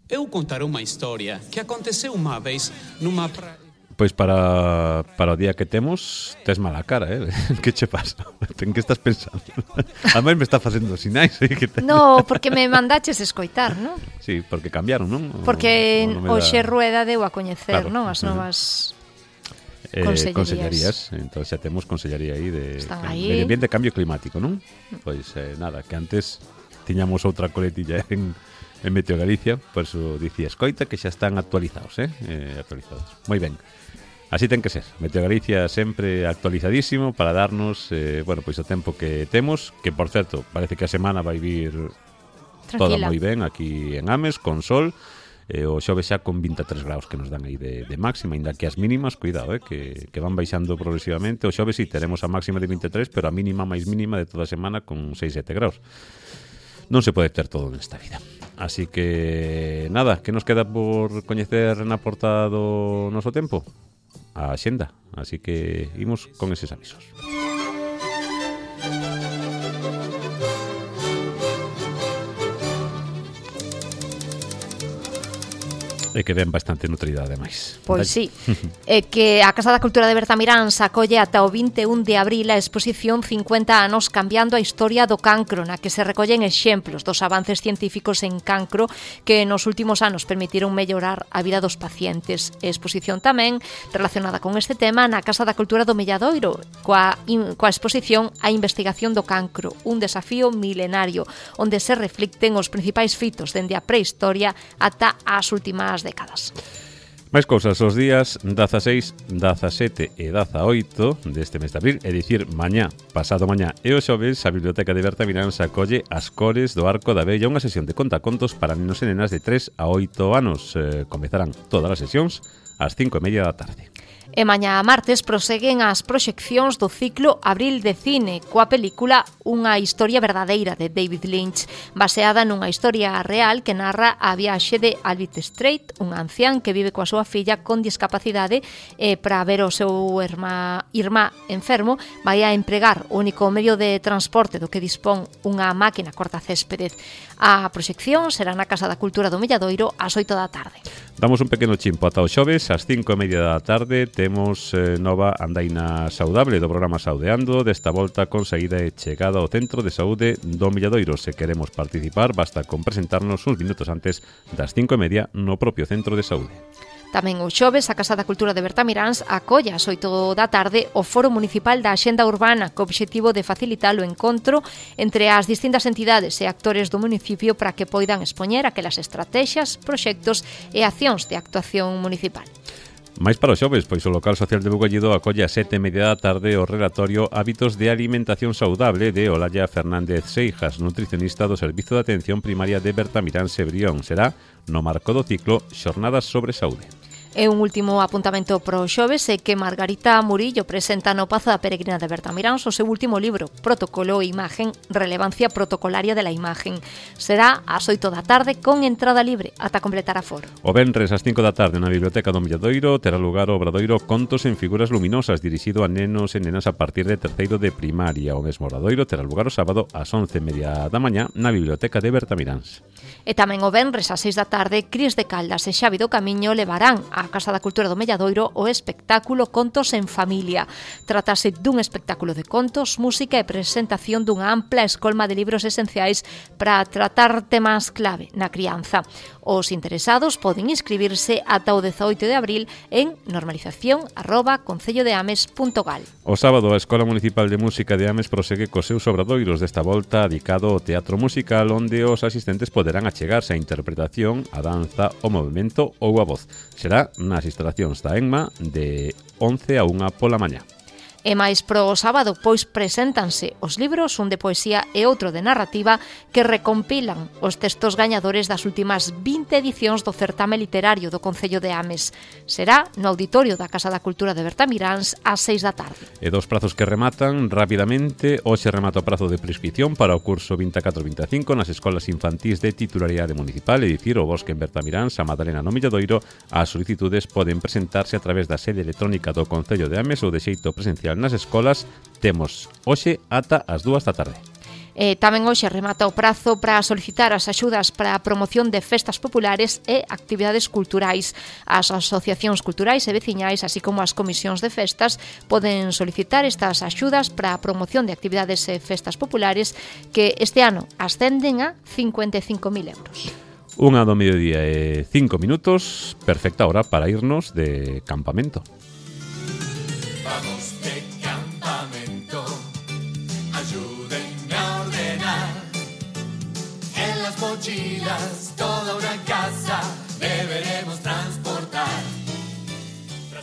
Eu contarei unha historia que aconteceu unha vez numa praia. Pois para, para o día que temos, tes mala cara, eh? Que che pasa? En que estás pensando? A mí me está facendo sinais. Eh? Que te... No, porque me mandaches escoitar, non? Sí, porque cambiaron, non? Porque o, o hoxe da... Rueda deu a coñecer, claro, non? As novas eh, consellerías. Consellerías. Entón xa temos consellería aí de Medio Ambiente e Cambio Climático, non? Pois eh, nada, que antes tiñamos outra coletilla en... en Meteo Galicia, por eso dicía escoita que xa están actualizados, eh? eh actualizados. Moi ben. Así ten que ser. Meteo Galicia sempre actualizadísimo para darnos, eh, bueno, pois o tempo que temos, que por certo, parece que a semana vai vir toda moi ben aquí en Ames, con sol, eh, o xoves xa con vinte e tres graus que nos dan aí de, de máxima, ainda que as mínimas, cuidado, eh, que, que van baixando progresivamente. O xoves sí, teremos a máxima de vinte e tres, pero a mínima máis mínima de toda a semana con seis sete graus. Non se pode ter todo nesta vida. Así que, nada, que nos queda por coñecer na portada do noso tempo? A xenda. Así que imos con eses avisos. E que ven bastante nutrida, ademais. Pois sí. É que a Casa da Cultura de Bertamirán acolle ata o vinte e un de abril a exposición cincuenta anos cambiando a historia do cancro, na que se recollen exemplos dos avances científicos en cancro que nos últimos anos permitiron mellorar a vida dos pacientes. A exposición tamén relacionada con este tema na Casa da Cultura do Milladoiro, coa, in, coa exposición A investigación do cancro, un desafío milenario, onde se reflicten os principais fitos dende a prehistoria ata as últimas décadas. Máis cousas os días dezaseis, dezasete e dezaoito deste mes de abril, é dicir, mañá, pasado mañá e o xoves, a Biblioteca de Bertamirán se acolle As cores do Arco da Vella, unha sesión de contacontos para nenos e nenas de tres a oito anos. Eh, comezarán todas as sesións ás cinco e media da tarde. E mañá martes proseguen as proxeccións do ciclo Abril de Cine coa película Unha historia verdadeira de David Lynch, baseada nunha historia real que narra a viaxe de Albert Strait, un ancián que vive coa súa filla con discapacidade e para ver o seu irmá, irmá enfermo vai a empregar o único medio de transporte do que dispón unha máquina cortacéspedez. A proxección será na Casa da Cultura do Milladoiro ás oito da tarde. Damos un pequeno chimpo ata o xoves, ás cinco e media da tarde temos eh, nova andaina saudable do programa Saudeando, desta volta con saída e chegada ao Centro de Saúde do Milladoiro. Se queremos participar, basta con presentarnos uns minutos antes das cinco e media no propio Centro de Saúde. Tamén o xoves, a Casa da Cultura de Bertamiráns acolla ás oito da tarde o Foro Municipal da Axenda Urbana co obxectivo de facilitar o encontro entre as distintas entidades e actores do municipio para que poidan expoñer aquelas estrategias, proxectos e accións de actuación municipal. Mais para o xoves, pois o local social de Bugallido acolle a sete e media da tarde o relatorio Hábitos de Alimentación Saudable de Olalla Fernández Seijas, nutricionista do Servizo de Atención Primaria de Bertamiráns e Brión. Será no marco do ciclo Xornadas sobre Saúde. E un último apuntamento pro xoves é que Margarita Murillo presenta no Pazo da Peregrina de Bertamiráns o seu último libro, Protocolo e Imagen, Relevancia Protocolaria de la Imagen. Será ás oito da tarde con entrada libre ata completar a foro. O venres ás cinco da tarde na Biblioteca do Milladoiro terá lugar o obradoiro Contos en Figuras Luminosas, dirixido a nenos e nenas a partir de terceiro de primaria. O mesmo obradoiro terá lugar o sábado ás once e media da mañá na Biblioteca de Bertamiráns. E tamén o venres ás seis da tarde, Cris de Caldas e Xavi do Camiño levarán a Casa da Cultura do Milladoiro o espectáculo Contos en Familia. Trátase dun espectáculo de contos, música e presentación dunha ampla escolma de libros esenciais para tratar temas clave na crianza. Os interesados poden inscribirse ata o dezaoito de abril en normalización arroba concellodeames punto gal. O sábado, a Escola Municipal de Música de Ames prosegue cos seus obradoiros, desta volta dedicado ao teatro musical, onde os asistentes poderán achegarse a interpretación, a danza, o movimento ou a voz. Será nas instalacións da ENMA de once a unha pola mañá. E máis pro sábado, pois preséntanse os libros, un de poesía e outro de narrativa, que recompilan os textos gañadores das últimas vinte edicións do certame literario do Concello de Ames. Será no auditorio da Casa da Cultura de Bertamiráns ás seis da tarde. E dos prazos que rematan rapidamente. Hoxe remata o prazo de prescripción para o curso vinte e catro vinte e cinco nas escolas infantís de titularidade municipal, é dicir, o Bosque en Bertamiráns, a Madalena no Milladoiro. As solicitudes poden presentarse a través da sede electrónica do Concello de Ames ou de xeito presencial nas escolas. Temos hoxe ata as dúas da tarde. E tamén hoxe remata o prazo para solicitar as axudas para a promoción de festas populares e actividades culturais. As asociacións culturais e veciñais, así como as comisións de festas, poden solicitar estas axudas para a promoción de actividades e festas populares que este ano ascenden a cincuenta e cinco mil euros. Unha do mediodía e cinco minutos, perfecta hora para irnos de campamento. Vamos de campamento, ayúdenme a ordenar. En las mochilas toda una casa deberemos transportar.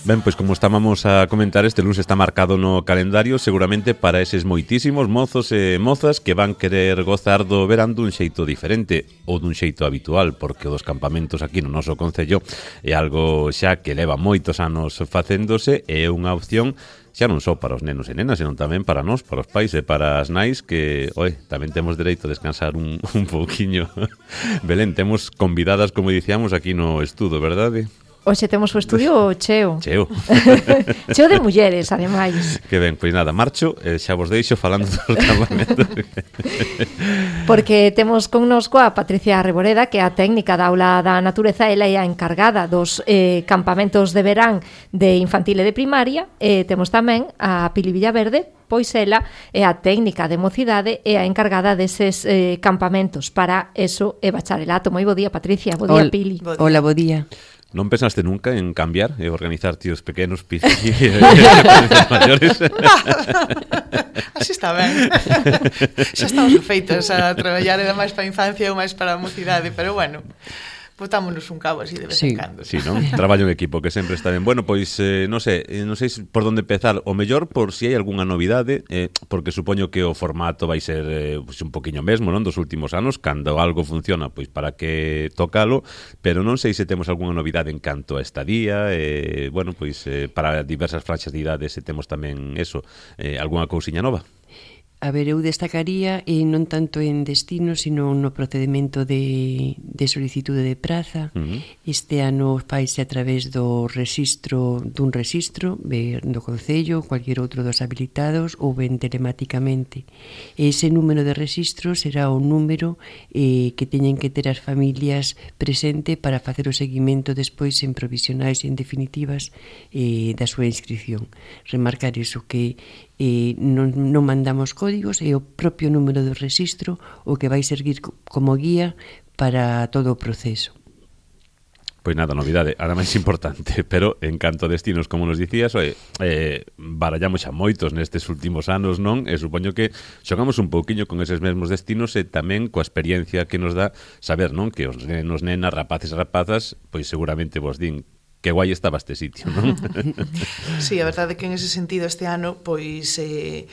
Ben, pois como estábamos a comentar, este lunes está marcado no calendario seguramente para eses moitísimos mozos e mozas que van querer gozar do verán dun xeito diferente ou dun xeito habitual, porque os campamentos aquí no noso concello é algo xa que leva moitos anos facéndose e é unha opción xa non só para os nenos e nenas, senón tamén para nós, para os pais e para as nais, que, oi, tamén temos dereito a descansar un, un pouquiño. Belén, temos convidadas, como dicíamos, aquí no estudo, verdade? Hoxe temos o estudio cheo. Cheo. Cheo de mulleres, ademais. Que ben, pois nada, marcho, eh, xa vos deixo falando dos campamentos. Porque temos connosco a Patricia Reboreda, que é a técnica da aula da natureza, ela é a encargada dos eh, campamentos de verán de infantil e de primaria, e temos tamén a Pili Villaverde, pois ela é a técnica de mocidade e a encargada deses eh, campamentos para eso e bacharelato. Moi bo día, Patricia, bo día, Pili. Hola, bo día. Non pensaste nunca en cambiar e organizar tíos pequenos piscis maiores? Así está ben. Xa estamos feitos a traballar era máis para a infancia ou máis para a mocidade, pero bueno, botámonos un cabo así de vez sí. en cando. Sí, non? Traballo en equipo, que sempre está ben. Bueno, pois, eh, non sei, non sei por onde empezar. O mellor, por si hai algunha novidade, eh, porque supoño que o formato vai ser eh, pues, un poquinho mesmo, non? Dos últimos anos, cando algo funciona, pois para que tocalo, pero non sei se temos algunha novidade en canto a estadía, eh, bueno, pois eh, para diversas franxas de idades se temos tamén eso, eh, algunha cousiña nova. A ver, eu destacaría e non tanto en destino, sino no procedimento de, de solicitude de praza. Uh-huh. Este ano faise a través do registro dun registro de, do Concello, cualquier outro dos habilitados, ou ben telemáticamente. E ese número de registro será o número eh, que teñen que ter as familias presente para facer o seguimento despois en provisionais e en definitivas eh, da súa inscripción. Remarcar iso, que eh, non, non mandamos códigos, é o propio número do registro o que vai servir como guía para todo o proceso. Pois nada, novidade, ahora máis importante, pero en canto a destinos, como nos dicías, oe, eh, barallamos xa moitos nestes últimos anos, non? E supoño que xogamos un pouquiño con eses mesmos destinos e tamén coa experiencia que nos dá saber, non? Que os nenos, nenas, rapaces e rapazas, pois seguramente vos din que guai estaba este sitio, non? Sí, a verdade é que en ese sentido este ano, pois eh,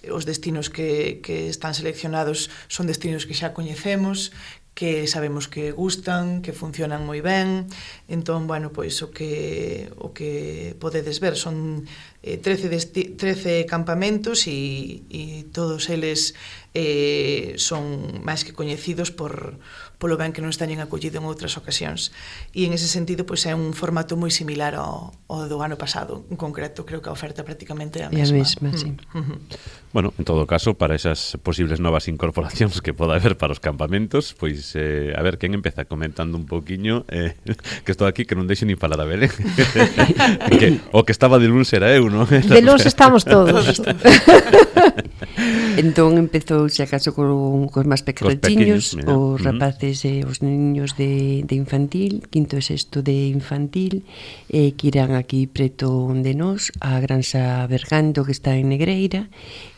os destinos que, que están seleccionados son destinos que xa coñecemos, que sabemos que gustan, que funcionan moi ben. Entón, bueno, pois o que o que podedes ver son eh, trece, desti- trece campamentos e, e todos eles eh, son máis que coñecidos por polo ben que nos teñen acollido en outras ocasións. E en ese sentido, pois é un formato moi similar ao, ao do ano pasado. En concreto, creo que a oferta prácticamente é a mesma. É a mesma, sí. Uh-huh. Bueno, en todo caso, para esas posibles novas incorporacións que poda haber para os campamentos, pois, eh, a ver, quen empeza comentando un pouquiño, eh, que estou aquí, que non deixo nin falar a Belén. que, o que estaba de luns era eu, non? De luns estamos todos. Entón empezou, se acaso, con, con máis pequeniños, os rapaces e os niños de, de infantil, quinto e sexto de infantil, eh, que irán aquí preto de nós, a Granxa Bergando, que está en Negreira,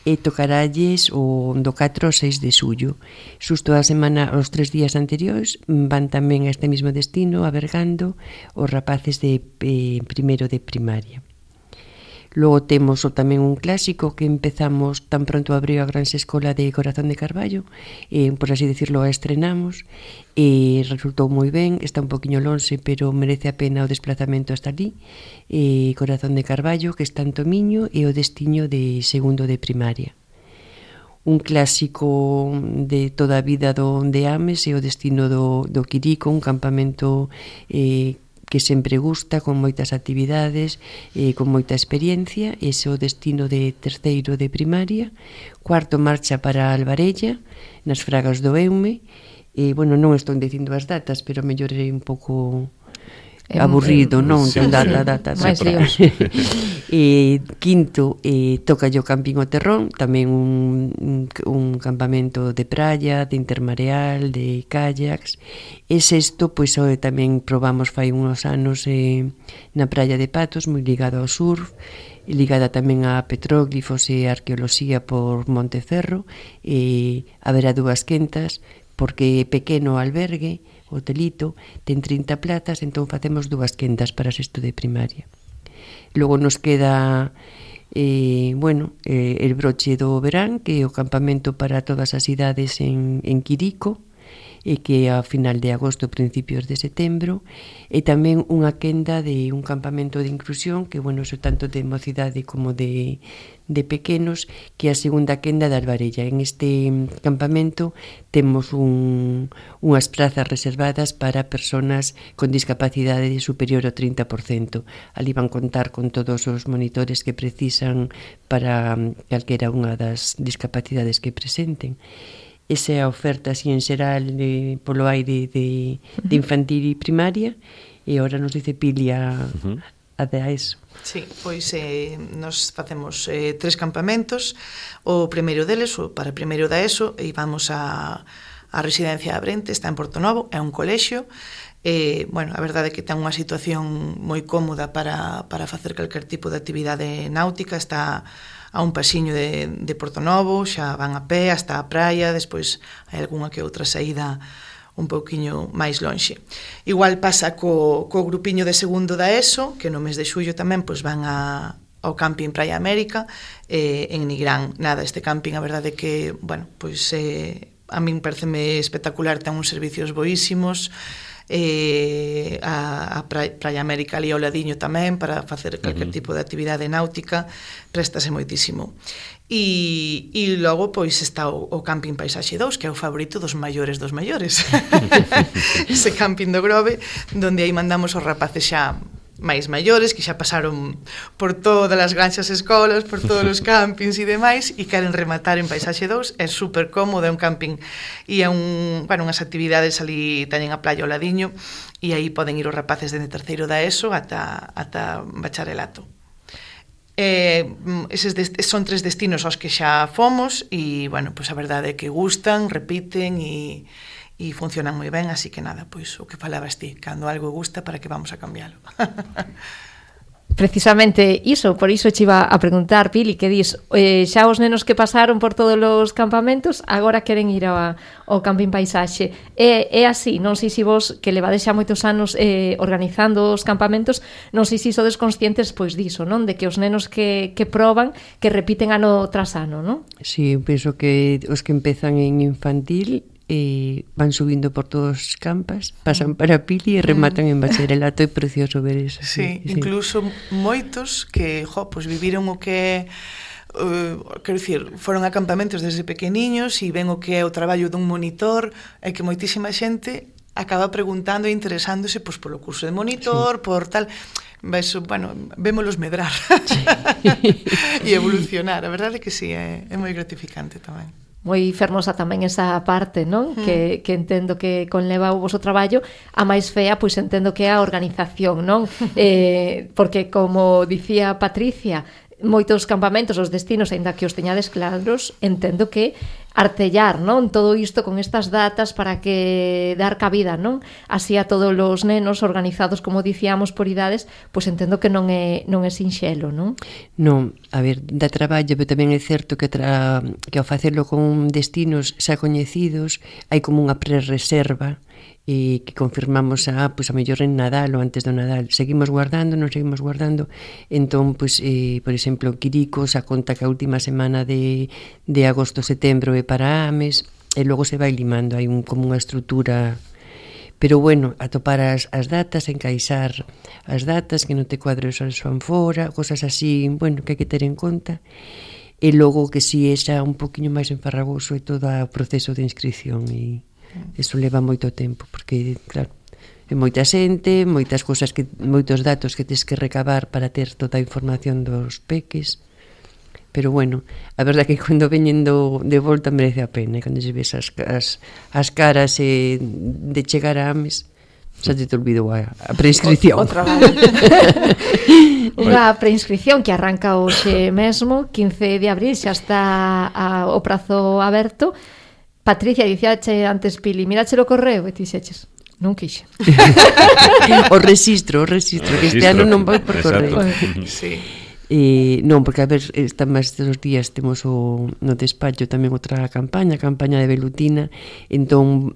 e tocaralles o do catro ao seis de xullo. Xusto a semana, os tres días anteriores, van tamén a este mismo destino, a Bergando, os rapaces de eh, primeiro de primaria. Logo temos o tamén un clásico que empezamos tan pronto abriu a Granxa Escola de Corazón de Carballo, eh, por así decirlo, a estrenamos, e resultou moi ben, está un poquinho lonxe, pero merece a pena o desplazamento hasta ali. eh, Corazón de Carballo, que está en Tomiño, e o destiño de segundo de primaria. Un clásico de toda a vida do de Ames e o destino do, do Quirico, un campamento eh, que sempre gusta, con moitas actividades, eh, con moita experiencia. Ese é o destino de terceiro de primaria. Cuarto marcha para Albarella, nas Fragas do Eume. E, bueno, non estou dicindo as datas, pero mellor é un pouco aburrido, non? Sí, data, data, máis líos. E quinto, eh, toca o Camping O Terrón, tamén un, un, un campamento de praia, de intermareal, de kayaks. E sexto, pois hoy tamén probamos fai uns anos eh, na praia de Patos, moi ligado ao surf, ligada tamén a petróglifos e arqueoloxía por Montecerro, e haberá dúas quentas, porque é pequeno o albergue, o hotelito, ten trinta plazas, entón facemos dúas quentas para sexto de primaria. Logo nos queda eh, bueno, eh, el broche do verán, que é o campamento para todas as idades en, en Quirico, e que a final de agosto, principios de setembro, e tamén unha quenda de un campamento de inclusión, que, bueno, so tanto de mocidade como de, de pequenos, que é a segunda quenda de Albarella. En este campamento temos un, unhas prazas reservadas para persoas con discapacidade superior ao trinta por cento. Ali van contar con todos os monitores que precisan para calquera unha das discapacidades que presenten. Esa é a oferta así en xeral de, polo aire de, de infantil e primaria, e agora nos dice Pilia uh-huh. a de a eso. Sí, pois eh, nos facemos eh, tres campamentos. O primeiro deles, o para primeiro da ESO, e vamos a, a residencia Abrente, está en Portonovo, é un colexio. Eh, bueno, a verdade é que ten unha situación moi cómoda para, para facer calquer tipo de actividade náutica. Está a un pasiño de, de Portonovo, xa van a pé hasta a praia, despois hai algunha que outra saída un pouquiño máis lonxe. Igual pasa co, co grupiño de segundo da ESO, que no mes de xullo tamén pois van a ao camping Praia América, eh, en Nigrán. Nada, este camping, a verdade que, bueno, pois eh, a min pareceme espectacular, ten uns servicios boísimos, eh, a, a Praia América ali ao ladiño tamén, para facer calquer tipo de actividade náutica, préstase moitísimo. E, e logo, pois, está o, o camping Paisaxe dous, que é o favorito dos maiores dos maiores. Ese camping do Grove, donde aí mandamos os rapaces xa máis maiores, que xa pasaron por todas as granxas escolas, por todos os campings e demais, e queren rematar en Paisaxe dous. É super cómodo, é un camping e é un, bueno, unhas actividades ali, teñen a playa ao ladiño, e aí poden ir os rapaces dende terceiro da ESO ata, ata bacharelato. Eh, eses dest- son tres destinos aos que xa fomos e, bueno, pois a verdade é que gustan, repiten e e funcionan moi ben, así que nada, pois o que falabas ti, cando algo gusta, para que vamos a cambialo. Precisamente iso, por iso che iba a preguntar, Pili, que dis, eh, xa os nenos que pasaron por todos os campamentos agora queren ir ao, ao camping Paisaxe. É, é así, non sei se vos, que levades xa moitos anos eh, organizando os campamentos, non sei se sodes conscientes pois diso, non? De que os nenos que, que proban, que repiten ano tras ano, non? Sí, penso que os que empezan en infantil e van subindo por todos os campas, pasan para Pili e rematan en bacharelato. É precioso ver eso. Sí, sí, incluso moitos que, jo, pues viviron o que Uh, quero dicir, foron a campamentos desde pequeniños e ven o que é o traballo dun monitor, e que moitísima xente acaba preguntando e interesándose pois, polo curso de monitor, sí, por tal. Eso, bueno, vémolos medrar sí. E evolucionar. A verdade é que sí, é, é moi gratificante tamén. Moi fermosa tamén esa parte, non? Mm. Que, que entendo que conleva o voso traballo. A máis fea, pois entendo que é a organización, non? eh, porque, como dicía Patricia, moitos campamentos, os destinos, aínda que os teñades claros, entendo que artellar, non? Todo isto con estas datas para que dar cabida, non? Así a todos os nenos organizados, como dicíamos, por idades, pois entendo que non é non é sinxelo, non? Non, a ver, dá traballo, pero tamén é certo que tra... que ao facelo con destinos xa coñecidos, hai como unha prerreserva e que confirmamos a, pois, a mellor en Nadal ou antes do Nadal. Seguimos guardando, non seguimos guardando. Entón, pois, eh, por exemplo, Quiricos a conta que a última semana de, de agosto, setembro é para Ames, e logo se vai limando, hai un, como unha estrutura. Pero, bueno, atopar as, as datas, encaixar as datas, que non te cuadros as fan fora, cosas así, bueno, que hai que ter en conta. E logo que si é xa un poquinho máis enfarragoso é todo o proceso de inscripción e eso leva moito tempo, porque, claro, é moita xente, moitas cousas, que moitos datos que tens que recabar para ter toda a información dos peques. Pero, bueno, a verdade é que cando veñen do, de volta merece a pena, e cando se ves as, as, as caras eh, de chegar a Ames, xa te te olvidou a, a preinscripción. O, o traballo. Unha preinscripción que arranca hoxe mesmo, quince de abril, xa está a, o prazo aberto. Patricia, dicíache antes, Pili, mirache o correo e ti dixeches, non quixe. O registro, o registro, que este ano non vai por correo. Sí. E, non, porque a ver, esta máis dos días temos o, no despacho tamén outra campaña, a campaña de Velutina, entón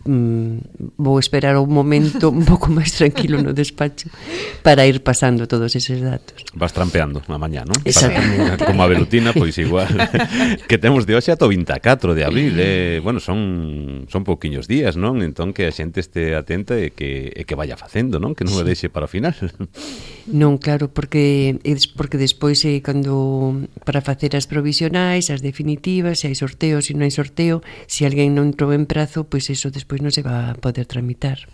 mm, vou esperar un momento un pouco máis tranquilo no despacho para ir pasando todos eses datos. Vas trampeando na mañá, non? Exactamente. Para, como a Velutina, pois igual que temos de hoxe ata o vinte e catro de abril, eh, bueno, son son pouquiños días, non? Entón que a xente este atenta e que e que vaya facendo, non? Que non o deixe para o final. Non, claro, porque porque despois eh, cando para facer as provisionais, as definitivas, se hai sorteo, se non hai sorteo, se alguén non entrou en prazo, pois eso despois non se va a poder tramitar.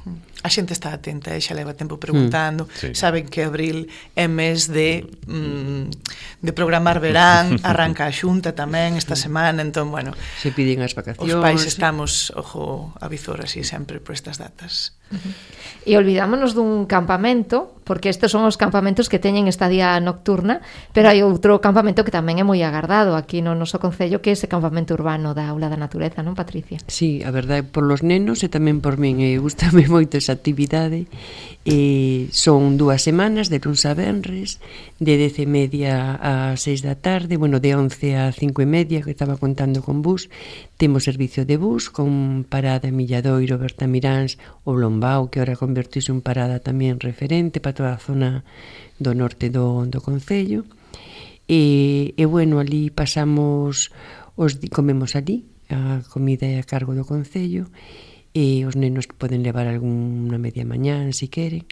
A xente está atenta, e xa leva tempo preguntando, mm, sí. Saben que abril é mes de mm, de programar verán, arranca a xunta tamén esta semana, entón, bueno, se piden as vacacións. Os pais estamos, ojo, a visor así sempre por estas datas. E olvidámonos dun campamento, porque estes son os campamentos que teñen estadía nocturna, pero hai outro campamento que tamén é moi agardado aquí no noso concello, que é ese campamento urbano da Aula da Natureza, non, Patricia? Sí, a verdade, por los nenos e tamén por min, e gustame moito esa actividade. E son dúas semanas, de luns a venres, de dez e media a seis da tarde, bueno, de once a cinco e media, que estaba contando con bus. Temos servicio de bus con parada en Milladoiro, Bertamiráns ou Lombao, que ahora convertise en parada tamén referente para toda a zona do norte do, do concello. E, e bueno, ali pasamos, os, comemos ali, a comida é a cargo do concello, e os nenos poden levar algunha media mañán se queren,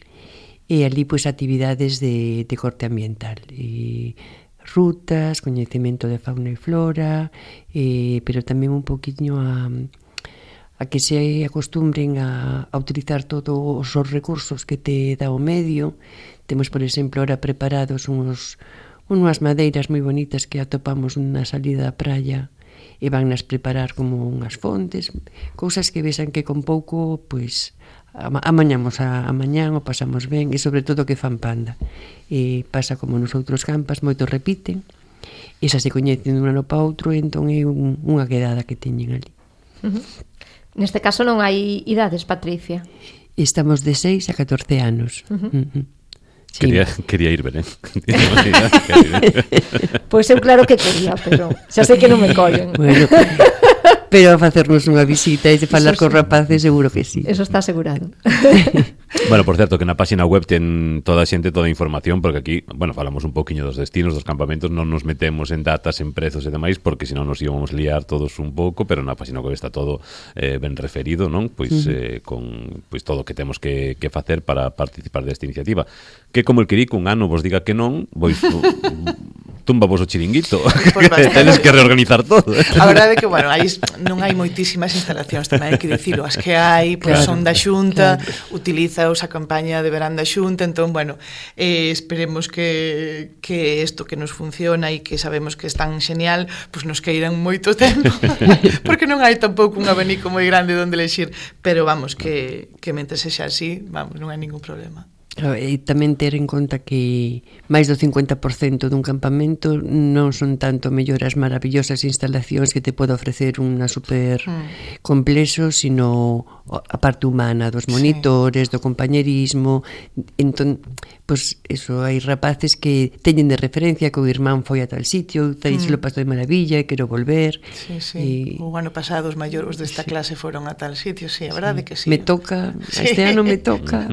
e ali pois actividades de, de corte ambiental, e rutas, coñecemento de fauna e flora, e, pero tamén un poquinho a a que se acostumbren a, a utilizar todos os recursos que te dá o medio. Temos, por exemplo, ahora preparados uns, unhas madeiras moi bonitas que atopamos na salida da praia e van nas preparar como unhas fontes, cousas que vexan que con pouco, pois, amañamos a, a mañán, o pasamos ben, e sobre todo que fan panda. E pasa como nos outros campas, moitos repiten, e xa se coñecen dun ano para outro, entón é un, unha quedada que teñen ali. Uh-huh. Neste caso non hai idades, Patricia. Estamos de seis a catorce anos. Uh-huh. Uh-huh. Sí. Quería, quería ir, Belén. Pois eu claro que quería, pero xa sei que non me collen. Bueno, pero a facernos unha visita e de falar con rapaces seguro que sí. Eso está asegurado. Bueno, por certo, que na página web ten toda a xente toda a información, porque aquí, bueno, falamos un poquinho dos destinos, dos campamentos, non nos metemos en datas, en prezos e demais, porque senón nos íbamos liar todos un pouco, pero na página web está todo eh, ben referido, non? Pois uh-huh. eh, con pois todo o que temos que, que facer para participar desta iniciativa. Que como el querico un ano vos diga que non, pois tumba vos o chiringuito. Pues tenes que reorganizar todo. A verdade é que, bueno, hai, non hai moitísimas instalacións, tamén hai que dicilo. As que hai, pois, claro, son da Xunta, claro. Utilizaos a campaña de verán da Xunta, entón, bueno, eh, esperemos que, que isto que nos funciona e que sabemos que é tan genial, pois nos queiran moito tempo, porque non hai tampouco un abanico moi grande onde elexir, pero vamos, que, que mentre sexa así, vamos, non hai ningún problema. E tamén ter en conta que máis do cincuenta por cento dun campamento non son tanto melloras maravillosas instalacións que te pode ofrecer unha super mm. complexo, sino a parte humana dos monitores, sí. do compañerismo. Entón, pois, eso, hai rapaces que teñen de referencia que o irmán foi a tal sitio, tal mm. lo pasou de maravilla e quero volver. Sí, sí. E... o ano pasado os maiores desta sí. clase foron a tal sitio, sí, a verdade sí. que sí. Me toca, sí. este ano me toca.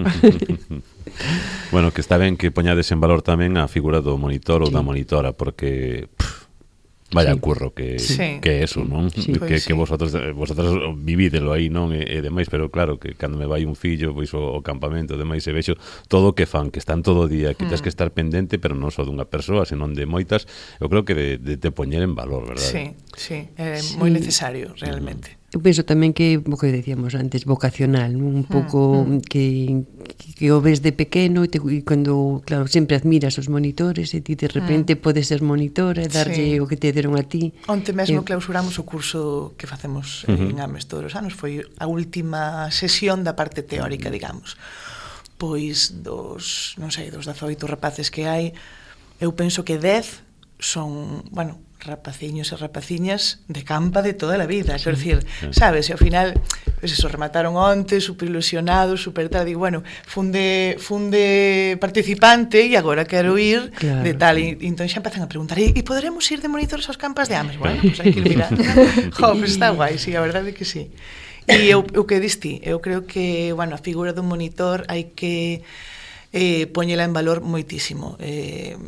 Bueno, que está ben que poñades en valor tamén a figura do monitor ou sí. da monitora, porque pff, vaya sí. curro que, sí. que é eso, non? Sí, que, pues, que sí. vosotros, vosotros vivídelo aí, non? E, e demais, pero claro, que cando me vai un fillo, pois o, o campamento, demais, e vexo todo o que fan, que están todo o día, que mm. tens que estar pendente, pero non só dunha persoa, senón de moitas, eu creo que de, de te poñer en valor, verdade? Sí, sí, é sí. moi necesario, realmente. Eu penso tamén que, o que decíamos antes, vocacional, un pouco mm, mm. que, que o ves de pequeno e, te, e cando, claro, sempre admiras os monitores e ti de repente mm. podes ser monitora e darlle sí. o que te deron a ti. Onte mesmo eh, clausuramos o curso que facemos uh-huh. en Ames todos os anos, foi a última sesión da parte teórica, digamos. Pois dos, non sei, dos dezaoito rapaces que hai, eu penso que dez son, bueno, rapaciños e rapaciñas de campa de toda a vida, quero dicir, sabes, e ao final, pues eso, remataron onte, super ilusionados, super tal, digo, bueno, funde, funde participante e agora quero ir claro, de tal, e, e entón xa empezan a preguntar, e, e poderemos ir de monitores aos campas de Ames? Bueno, pues hai que ir mirar. Jo, pues está guai, sí, a verdade é que sí. E eu, eu que diste, eu creo que, bueno, a figura dun monitor hai que eh, poñela en valor moitísimo. Eh,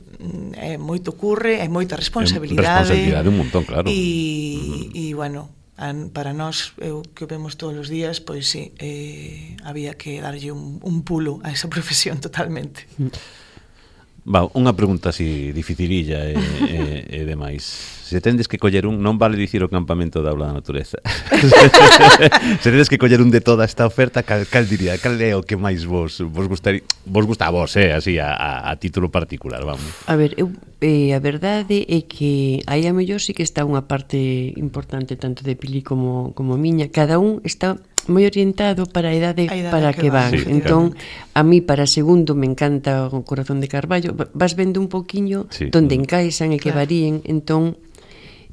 é moito curre, é moita responsabilidade. Responsabilidade un montón, claro. E, e bueno, an, para nós, eu que o vemos todos os días, pois sí, eh, había que darlle un, un pulo a esa profesión totalmente. Va, unha pregunta así dificililla e, e, e demais. Se tendes que coller un, non vale dicir o campamento da Aula da Natureza. Se tendes que coller un de toda esta oferta, cal, cal diría, cal é o que máis vos vos gustaría, vos gusta a vos, eh, así a, a, a título particular, vamos. A ver, eu, eh, a verdade é que aí a mellor sí que está unha parte importante tanto de Pili como como miña, cada un está moi orientado para a idade, a idade para que que van. van, Sí, entón, a mí para segundo me encanta o Corazón de Carballo. Vas vendo un poquiño Sí. donde encaixan e que Claro. varíen. Entón,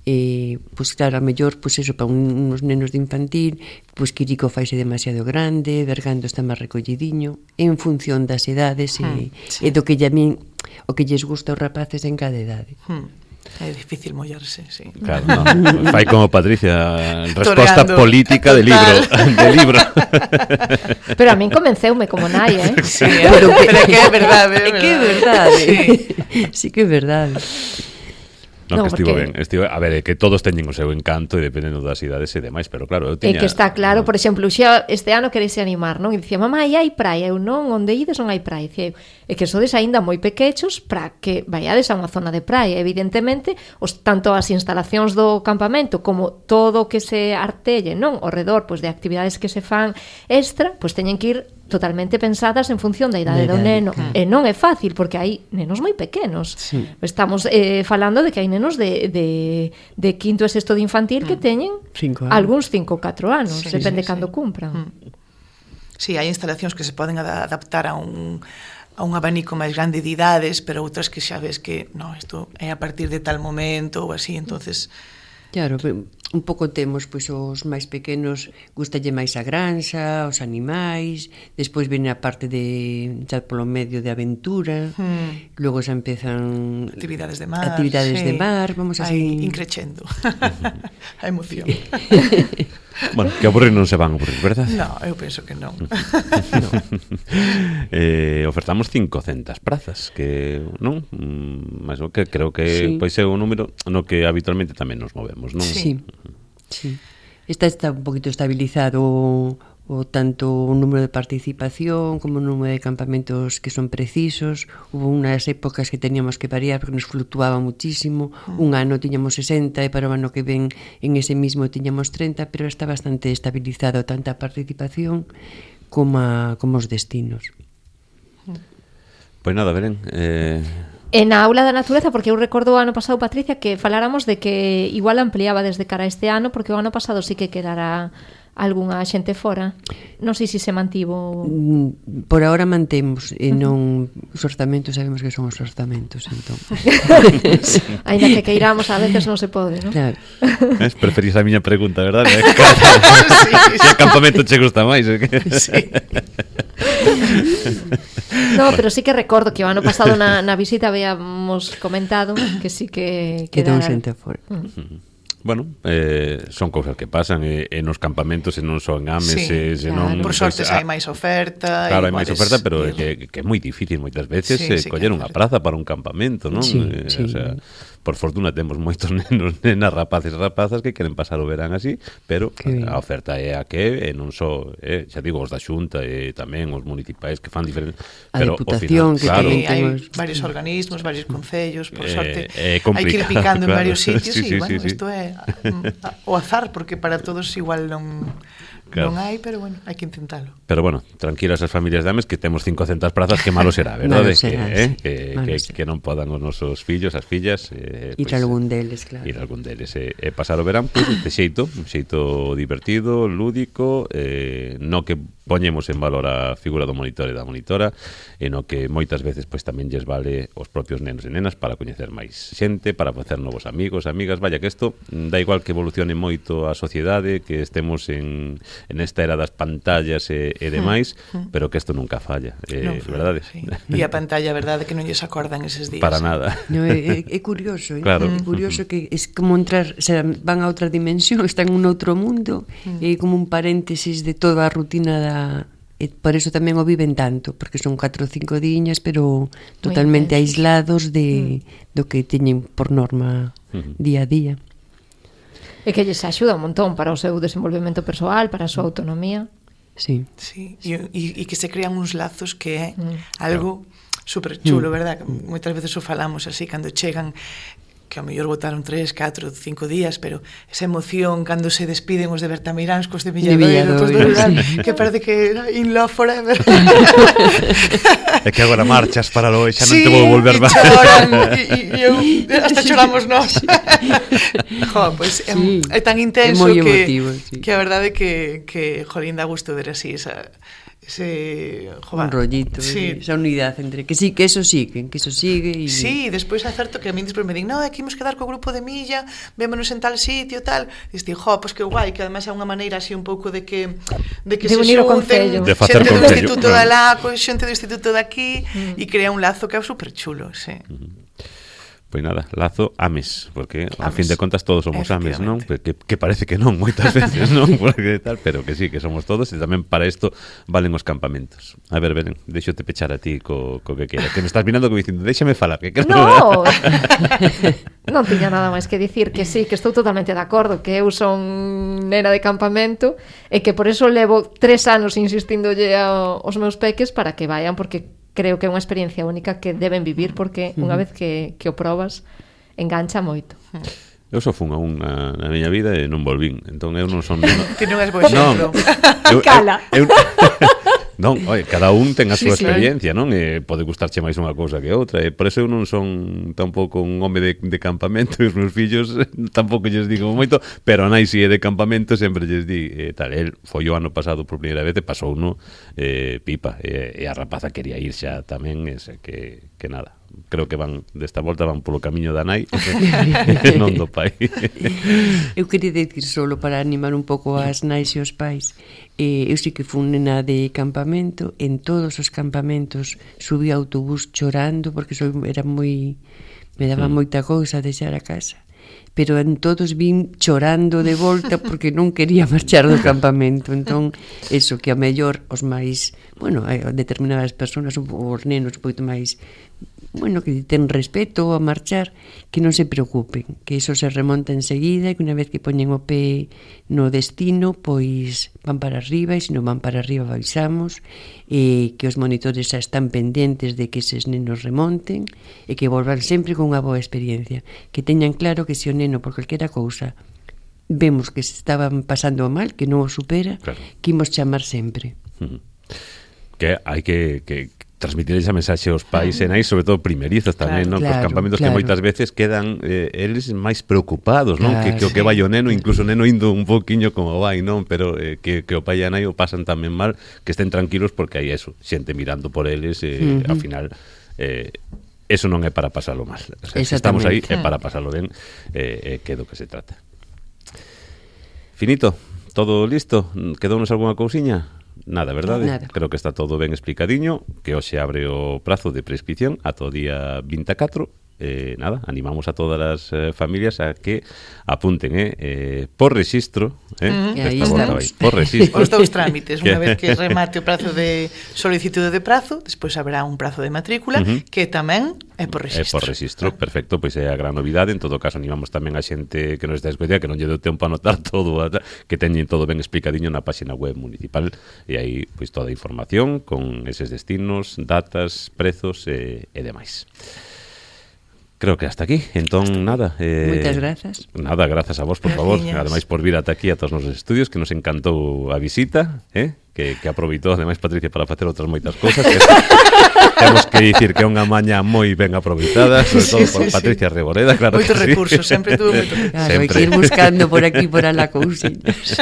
eh, pois claro, a mellor, pois eso, para un, uns nenos de infantil, pois Quirico faise demasiado grande, Bergando está máis recollidiño, en función das edades e, Mm, sí. e do que lle a min, o que lles gusta aos rapaces en cada idade. Hmm. É difícil mollarse, sí. Claro, no. Fai como Patricia, resposta Toreando. política de libro, de libro. Pero a min convenceume como nai, eh? Sí, eh? pero, que, pero é que é verdade, é É que é verdade. verdade. Sí. Sí que é verdade. No, No, que estivo porque- ben, estivo, a ver, é que todos teñen o seu encanto e dependendo das idades e demais, pero claro, eu É tiña... que está claro, por exemplo, xa este ano quereise animar, non? E dicía, mamá, e hai praia? Eu non, onde ides non hai praia? Dicía, é que sodes aínda moi pequechos para que vaiades a unha zona de praia. Evidentemente, os, tanto as instalacións do campamento como todo o que se artelle, non? Ao redor, pois, de actividades que se fan extra, pois teñen que ir totalmente pensadas en función da idade Da do idade, neno. claro. E non é fácil, porque hai nenos moi pequenos. Sí. Estamos eh, falando de que hai nenos de, de, de quinto e sexto de infantil que teñen Cinco anos. algúns cinco ou catro anos, Sí, depende sí, cando sí. cumpran. Sí, hai instalacións que se poden ada- adaptar a un a un abanico máis grande de idades, pero outras que xa ves que, no, isto é a partir de tal momento ou así, entonces Claro, un pouco temos pois os máis pequenos, gustalle máis a granxa, os animais, despois vene a parte de xa polo medio de aventura, Hmm. logo xa empezan actividades de mar, actividades sí. de mar, vamos así. Aí increchendo. A emoción. Bueno, que aburrir non se van a aburrir, verdad? No, eu penso que non. eh, ofertamos cincocentas prazas, que non? Mm, máis o que creo que Sí. pois é un número no que habitualmente tamén nos movemos, non? Sí. Sí. Esta está un poquito estabilizado o, o tanto o número de participación como o número de campamentos que son precisos. Hubo unhas épocas que teníamos que variar porque nos fluctuaba muchísimo. Un ano tiñamos sesenta e para o ano que ven en ese mismo tiñamos treinta, pero está bastante estabilizado tanto a participación como, a, como os destinos. Pois nada, Belén, eh, E na aula da natureza, porque eu recordo o ano pasado, Patricia, que faláramos de que igual ampliaba desde cara a este ano, porque o ano pasado sí que quedara algunha xente fora. Non sei se se mantivo... Mm, Por ahora mantemos e non os orzamentos, sabemos que son os orzamentos, entón. Ainda que queiramos, a veces non se pode, non? Claro. es, preferís a miña pregunta, verdade? Sí, sí. Que campamento che gusta máis? Eh? Sí. No, pero sí que recordo que o ano pasado na, na visita habíamos comentado que sí que Quedou quedara... xente fora. Mm. Bueno, eh, son cousas que pasan e, e nos campamentos e non son ames Sí, e se claro. non Por sorte pois, hai a- máis oferta. Claro, hai e máis podes oferta, pero é ir. que, que é moi difícil moitas veces Sí, eh, sí que coller é unha verdade. praza para un campamento, non? Sí, Eh, sí. O sea, por fortuna temos moitos nenos, nenas, rapaces e rapazas que queren pasar o verán así, pero Que ben. a oferta é a que é, e non só, eh, xa digo, os da Xunta e tamén os municipais que fan diferentes, A pero Deputación, ao final, que claro, tamén Sí, hai temos- varios organismos, varios concellos, por Eh, sorte. é hai que ir complicado, picando claro. en varios sitios Sí, e, sí, bueno, sí, sí. isto é mm, o azar, porque para todos igual non, Claro. non hai, pero bueno, hai que intentalo. Pero bueno, tranquilas as familias de Ames que temos cincocentas prazas, que malo será, verdade? Malo será, que, eh, sí. que, Malo que, será. que non podan os nosos fillos, as fillas eh, Ir a algún deles, claro. ir a algún deles e, e pasar o verán pois, de xeito, un xeito divertido, lúdico, eh, no que poñemos en valor a figura do monitor e da monitora e no que moitas veces pois tamén lles vale os propios nenos e nenas para coñecer máis xente, para facer novos amigos, amigas, vaya que isto da igual que evolucione moito a sociedade, que estemos en, en esta era das pantallas e, e demais, Mm. pero que isto nunca falla, eh, Non, verdade? sí. E a pantalla, a verdade, que non lles acordan eses días. Para nada. No, é, é curioso, eh? Claro. É curioso que é como entrar, o sea, van a outra dimensión, están en un outro mundo, é como un paréntesis de toda a rutina da e por eso tamén o viven tanto, porque son catro ou cinco diñas, pero totalmente intensos. aislados de do que teñen por norma Ujú. día a día. E que lles axuda un montón para o seu desenvolvemento persoal, para a súa autonomía. Sí. Sí, e, e, e que se crean uns lazos que é Mm. algo super chulo, Mm. verdad? Que moitas veces o falamos así, cando chegan que ao mellor botaron tres, catro, cinco días, pero esa emoción cando se despiden os de Bertamiráns cos de Milladoiro, cos de Lugar, sí. Que parece que in love forever. É que agora marchas para lo, xa non sí, te vou volver máis. Sí, choran, e, e eu, hasta choramos nós. Jo, pois pues, sí. é, é tan intenso é que, emotivo, sí. que a verdade que, que jolín, dá gusto ver así esa... ese joder, un rollito, sí. esa unidade entre que sí, que eso sigue, que eso sigue y... Sí, despois é certo que a min despois me din, no, aquí imos quedar co grupo de Milla, vémonos en tal sitio, tal, e diste, jo, pois que guai, que ademais é unha maneira así un pouco de que de que de se xunten de facer xente do concello, instituto no. da lá, co xente do instituto de aquí, e mm. crea un lazo que é super chulo, sí. Mm. Pois nada, lazo ames, porque a fin de contas todos somos ames, non? Que, que parece que non, moitas veces, non? Porque tal, pero que sí, que somos todos, e tamén para isto valen os campamentos. A ver, Belén, deixote pechar a ti co, co que queira. Que me estás mirando como dicindo, déxame falar, que quero... No! Non tiña nada máis que dicir que sí, que estou totalmente de acordo, que eu son nena de campamento e que por eso levo tres anos insistindolle aos meus peques para que vayan, porque creo que é unha experiencia única que deben vivir, porque unha vez que, que o probas engancha moito. Eu só fun a unha na miña vida e non volvín, entón eu non son... Ti non és bo exemplo. Non, cala. Eu, eu, non, oi, cada un ten a súa sí, experiencia, non? E pode gustarche máis unha cousa que outra, e por eso eu non son tampouco un home de, de campamento, e os meus fillos tampouco lles digo moito, pero a nai si é de campamento sempre lles di, eh, tal, el foi o ano pasado por primeira vez e pasou no eh, pipa, e, e a rapaza quería ir xa tamén, ese, que, que nada. Creo que van desta volta van polo camiño da nai e non do pai. Eu queria dicir solo para animar un pouco as nais e os pais. Eh, eu sí que fui nena de campamento, en todos os campamentos subí ao autobús chorando porque soy, era moi me daba mm. moita cousa deixar a casa. Pero en todos vin chorando de volta porque non quería marchar do campamento. Entón, eso que a mellor os máis, bueno, determinadas persoas, os nenos un pouco máis, bueno, que ten respeto a marchar, que non se preocupen, que iso se remonta enseguida e que unha vez que poñen o pé no destino, pois van para arriba, e se non van para arriba avisamos, e que os monitores xa están pendentes de que eses nenos remonten e que volvan sempre con unha boa experiencia, que teñan claro que se o neno por calquera cousa vemos que se estaban pasando mal, que non o supera, claro, que imos chamar sempre. Uh-huh. Que hai que, que transmitir esa mensaxe aos pais e nais, sobre todo primerizos tamén, claro, non? Claro, cos campamentos claro, que moitas veces quedan eh, eles máis preocupados, non? Claro, que, que o que vai o neno, incluso o neno indo un poquinho como vai, non? Pero eh, que, que o pai e a nai o pasan tamén mal, que estén tranquilos porque hai eso, xente mirando por eles e eh, uh-huh. ao final eh, eso non é para pasalo mal. O sea, se estamos aí é para pasalo ben, eh, eh, que é do que se trata. Finito, todo listo? Quedounos algunha cousiña? Nada, verdade? Nada. Creo que está todo ben explicadiño, que hoxe abre o prazo de prescripción ata o día vinte e catro. Eh, nada, animamos a todas as eh, familias a que apunten eh, eh, por registro eh, mm, aí estamos vai, por registro os dous trámites, unha vez que remate o prazo de solicitude de prazo, despois habrá un prazo de matrícula uh-huh. que tamén é por registro. É por registro, ah. perfecto, pois é a gran novidade. En todo caso animamos tamén a xente que nos está escoitando que non lle deu tempo a anotar todo, que teñen todo ben explicadiño na página web municipal, e aí pois toda a información con eses destinos, datas, prezos e, e demais. Creo que hasta aquí, entón nada eh, Moitas grazas. Nada, grazas a vos, por favor. Ademais por vir ata aquí a todos os nosos estudios, que nos encantou a visita, eh? que, que aproveitou ademais Patricia para facer outras moitas cousas, que temos que dicir que é unha maña moi ben aproveitada, sobre todo sí, por sí, Patricia sí. Reboreda, claro. Moitos que recursos, sí. sempre tuvo moito. Claro, hai que ir buscando por aquí por alá cousiñas.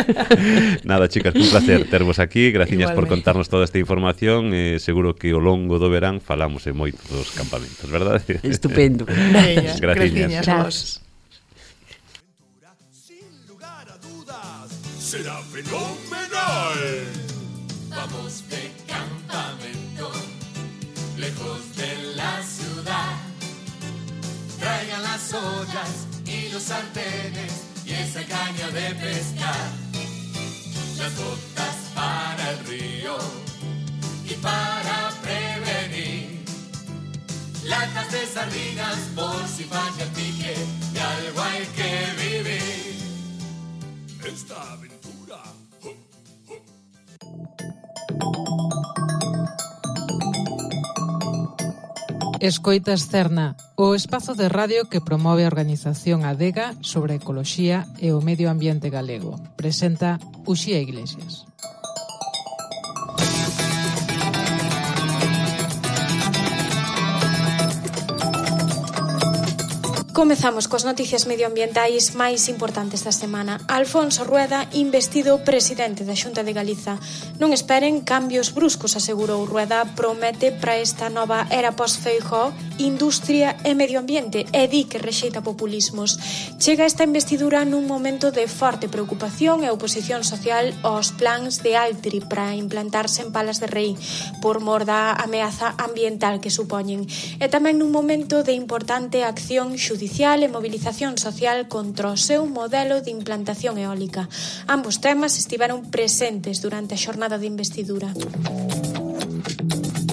Nada, chicas, un placer tervos aquí, graciñas por contarnos toda esta información, eh, seguro que ao longo do verán falamos en moitos dos campamentos, verdade? Estupendo. Graciñas. Graciñas. Graciñas. Será fenomenal. Vamos de campamento, lejos de la ciudad. Traigan las ollas y los sartenes y esa caña de pescar. Las botas para el río y para prevenir. Latas de sardinas por si falla el pique, de algo hay que vivir. Esta aventura. Escoitas Cerna, o espazo de radio que promove a organización Adega sobre a ecoloxía e o medio ambiente galego. Presenta Uxía Iglesias. Comezamos cos noticias medioambientais máis importantes da semana. Alfonso Rueda, investido presidente da Xunta de Galiza. Non esperen cambios bruscos, asegurou Rueda, promete para esta nova era pós-Feijóo industria e medio ambiente e di que rexeita populismos. Chega esta investidura nun momento de forte preocupación e oposición social aos plans de Altri para implantarse en Palas de Rei por mor da ameaza ambiental que supoñen. E tamén nun momento de importante acción judicial e movilización social contra o seu modelo de implantación eólica. Ambos temas estiveron presentes durante a xornada de investidura.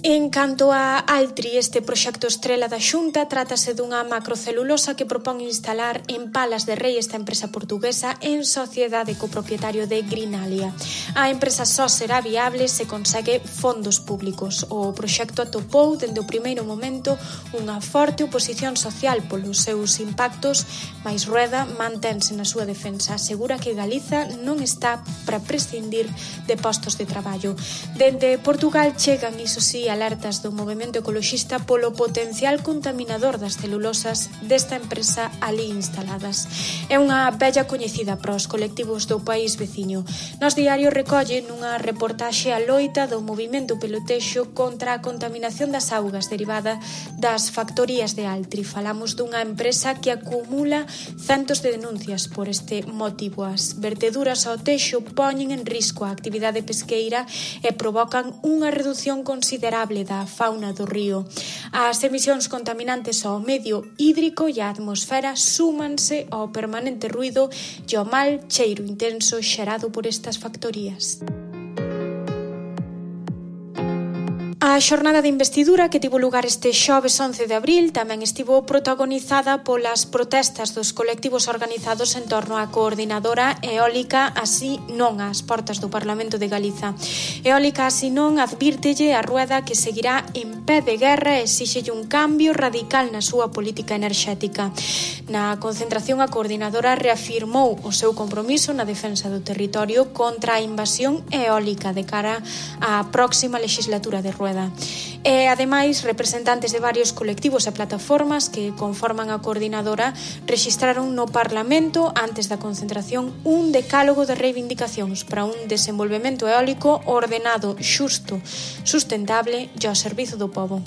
En canto a Altri, este proxecto estrela da Xunta, trátase dunha macrocelulosa que propón instalar en Palas de Rei esta empresa portuguesa en sociedade co propietario de Greenalia. A empresa só será viable se consegue fondos públicos. O proxecto atopou, dende o primeiro momento, unha forte oposición social polos seus impactos, mais Rueda mantense na súa defensa. Asegura que Galiza non está para prescindir de postos de traballo. Dende Portugal chegan, iso sí, alertas do movemento ecoloxista polo potencial contaminador das celulosas desta empresa ali instaladas. É unha bella coñecida para os colectivos do país veciño. Nos diario recolle nunha reportaxe a loita do movimento pelotexo contra a contaminación das augas derivada das factorías de Altri. Falamos dunha empresa que acumula centos de denuncias por este motivo. As verteduras ao texo poñen en risco a actividade pesqueira e provocan unha reducción considerable da fauna do río. As emisións contaminantes ao medio hídrico e á atmosfera súmanse ao permanente ruído e ao mal cheiro intenso xerado por estas factorías. A xornada de investidura que tivo lugar este xoves once de abril tamén estivo protagonizada polas protestas dos colectivos organizados en torno á coordinadora eólica Así Non ás portas do Parlamento de Galiza. Eólica Así Non advírtelle a Rueda que seguirá en pé de guerra e exíxelle un cambio radical na súa política enerxética. Na concentración, a coordinadora reafirmou o seu compromiso na defensa do territorio contra a invasión eólica de cara á próxima legislatura de Rueda. E, ademais, representantes de varios colectivos e plataformas que conforman a coordinadora rexistraron no Parlamento, antes da concentración, un decálogo de reivindicacións para un desenvolvemento eólico ordenado, xusto, sustentable e ao servizo do pobo.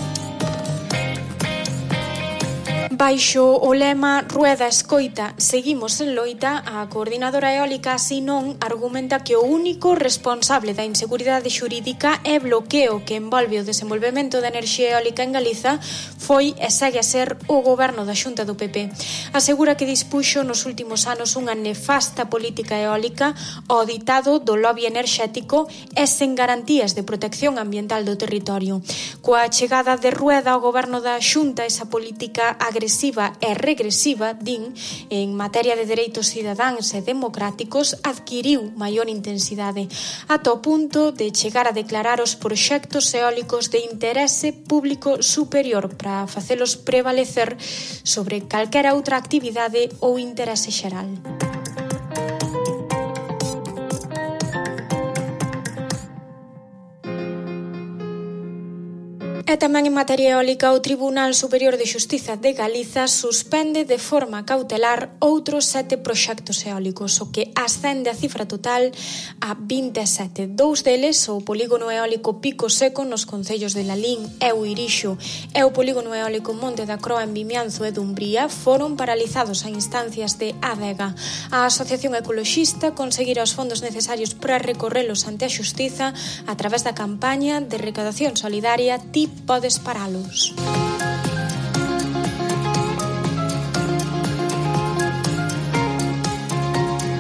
Baixo o lema Rueda escoita, seguimos en loita, a coordinadora eólica Así Non argumenta que o único responsable da inseguridade xurídica e bloqueo que envolve o desenvolvemento da enerxía eólica en Galiza foi e segue a ser o goberno da Xunta do P P. Asegura que dispuxo nos últimos anos unha nefasta política eólica ao ditado do lobby enerxético e sen garantías de protección ambiental do territorio. Coa chegada de Rueda ao goberno da Xunta, esa política agresiva e regresiva, din, en materia de dereitos cidadáns e democráticos, adquiriu maior intensidade, ata o punto de chegar a declarar os proxectos eólicos de interese público superior para facelos prevalecer sobre calquera outra actividade ou interese xeral. E tamén en materia eólica, o Tribunal Superior de Xustiza de Galiza suspende de forma cautelar outros sete proxectos eólicos, o que ascende a cifra total a vinte e sete. Dous deles, o polígono eólico Pico Seco nos concellos de Lalín e o Irixo e o polígono eólico Monte da Croa en Vimianzo e Dumbría, foron paralizados a instancias de Adega. A Asociación Ecoloxista conseguirá os fondos necesarios para recorrelos ante a Xustiza a través da campaña de recaudación solidaria T I P Podes paralos.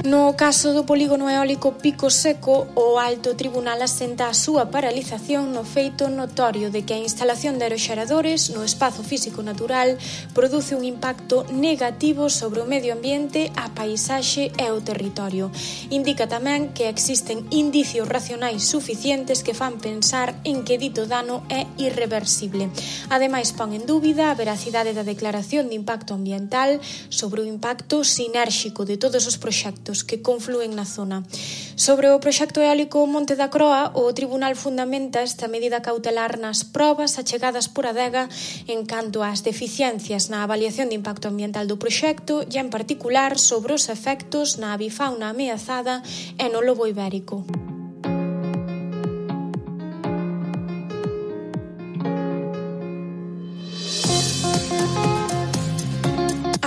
No caso do polígono eólico Pico Seco, o Alto Tribunal asenta a súa paralización no feito notorio de que a instalación de aeroxeradores no espazo físico natural produce un impacto negativo sobre o medio ambiente, a paisaxe e o territorio. Indica tamén que existen indicios racionais suficientes que fan pensar en que dito dano é irreversible. Ademais, pon en dúbida a veracidade da declaración de impacto ambiental sobre o impacto sinérxico de todos os proxectos que confluen na zona. Sobre o proxecto eólico Monte da Croa, o Tribunal fundamenta esta medida cautelar nas probas achegadas por Adega en canto ás deficiencias na avaliación de impacto ambiental do proxecto e, en particular, sobre os efectos na avifauna ameazada e no lobo ibérico.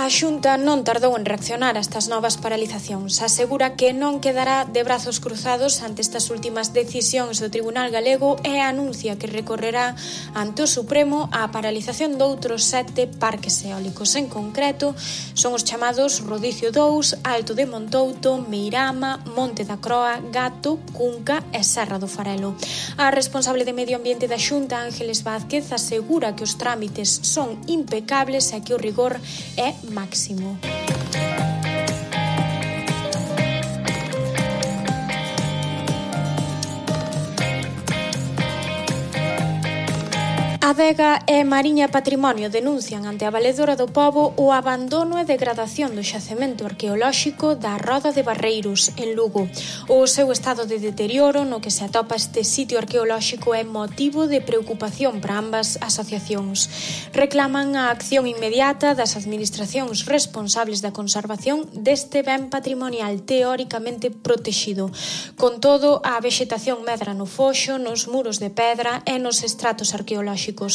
A Xunta non tardou en reaccionar a estas novas paralizacións. Asegura que non quedará de brazos cruzados ante estas últimas decisións do Tribunal Galego e anuncia que recorrerá ante o Supremo a paralización doutros sete parques eólicos. En concreto, son os chamados Rodicio dous, Alto de Montouto, Meirama, Monte da Croa, Gato, Cunca e Serra do Farelo. A responsable de Medio Ambiente da Xunta, Ángeles Vázquez, asegura que os trámites son impecables e que o rigor é máximo. Adega e Mariña Patrimonio denuncian ante a Valedora do Pobo o abandono e degradación do xacemento arqueolóxico da Roda de Barreiros, en Lugo. O seu estado de deterioro no que se atopa este sitio arqueolóxico é motivo de preocupación para ambas asociacións. Reclaman a acción inmediata das administracións responsables da conservación deste ben patrimonial teóricamente protexido. Con todo, a vexetación medra no foxo, nos muros de pedra e nos estratos arqueolóxicos.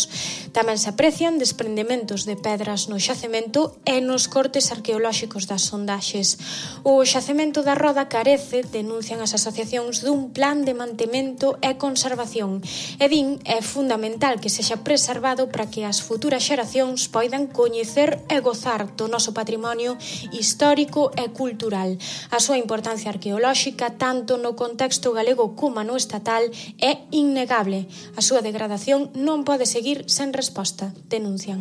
Tamén se aprecian desprendementos de pedras no xacemento e nos cortes arqueolóxicos das sondaxes. O xacemento da Roda carece, denuncian as asociacións, dun plan de mantemento e conservación. E din é fundamental que sexa preservado para que as futuras xeracións poidan coñecer e gozar do noso patrimonio histórico e cultural. A súa importancia arqueolóxica, tanto no contexto galego como no estatal, é innegable. A súa degradación non pode seguir sen resposta, denuncian.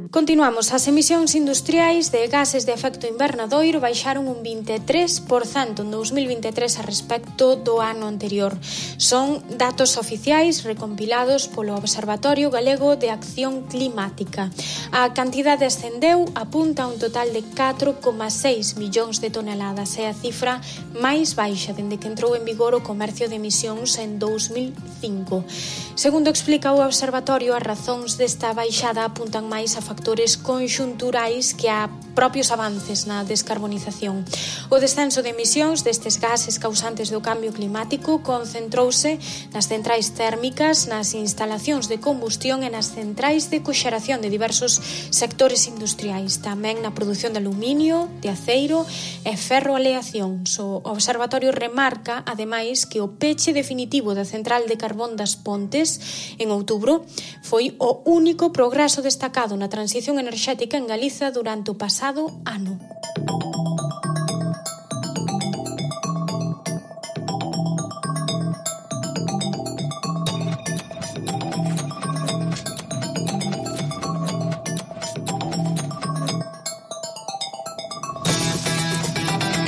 Continuamos. As emisións industriais de gases de efecto invernadoiro baixaron un vinte e tres por cento en dous mil vinte e tres a respecto do ano anterior. Son datos oficiais recompilados polo Observatorio Galego de Acción Climática. A cantidade ascendeu, apunta a un total de catro coma seis millóns de toneladas. É a cifra máis baixa dende que entrou en vigor o comercio de emisións en dous mil cinco. Segundo explica o Observatorio, as razóns desta baixada apuntan máis a factores conxunturais que a propios avances na descarbonización. O descenso de emisións destes gases causantes do cambio climático concentrouse nas centrais térmicas, nas instalacións de combustión e nas centrais de coxeración de diversos sectores industriais, tamén na produción de aluminio, de aceiro e ferroaleacións. O Observatorio remarca, ademais, que o peche definitivo da central de carbón das Pontes en outubro foi o único progreso destacado na transición enerxética en Galiza durante o pasado ano.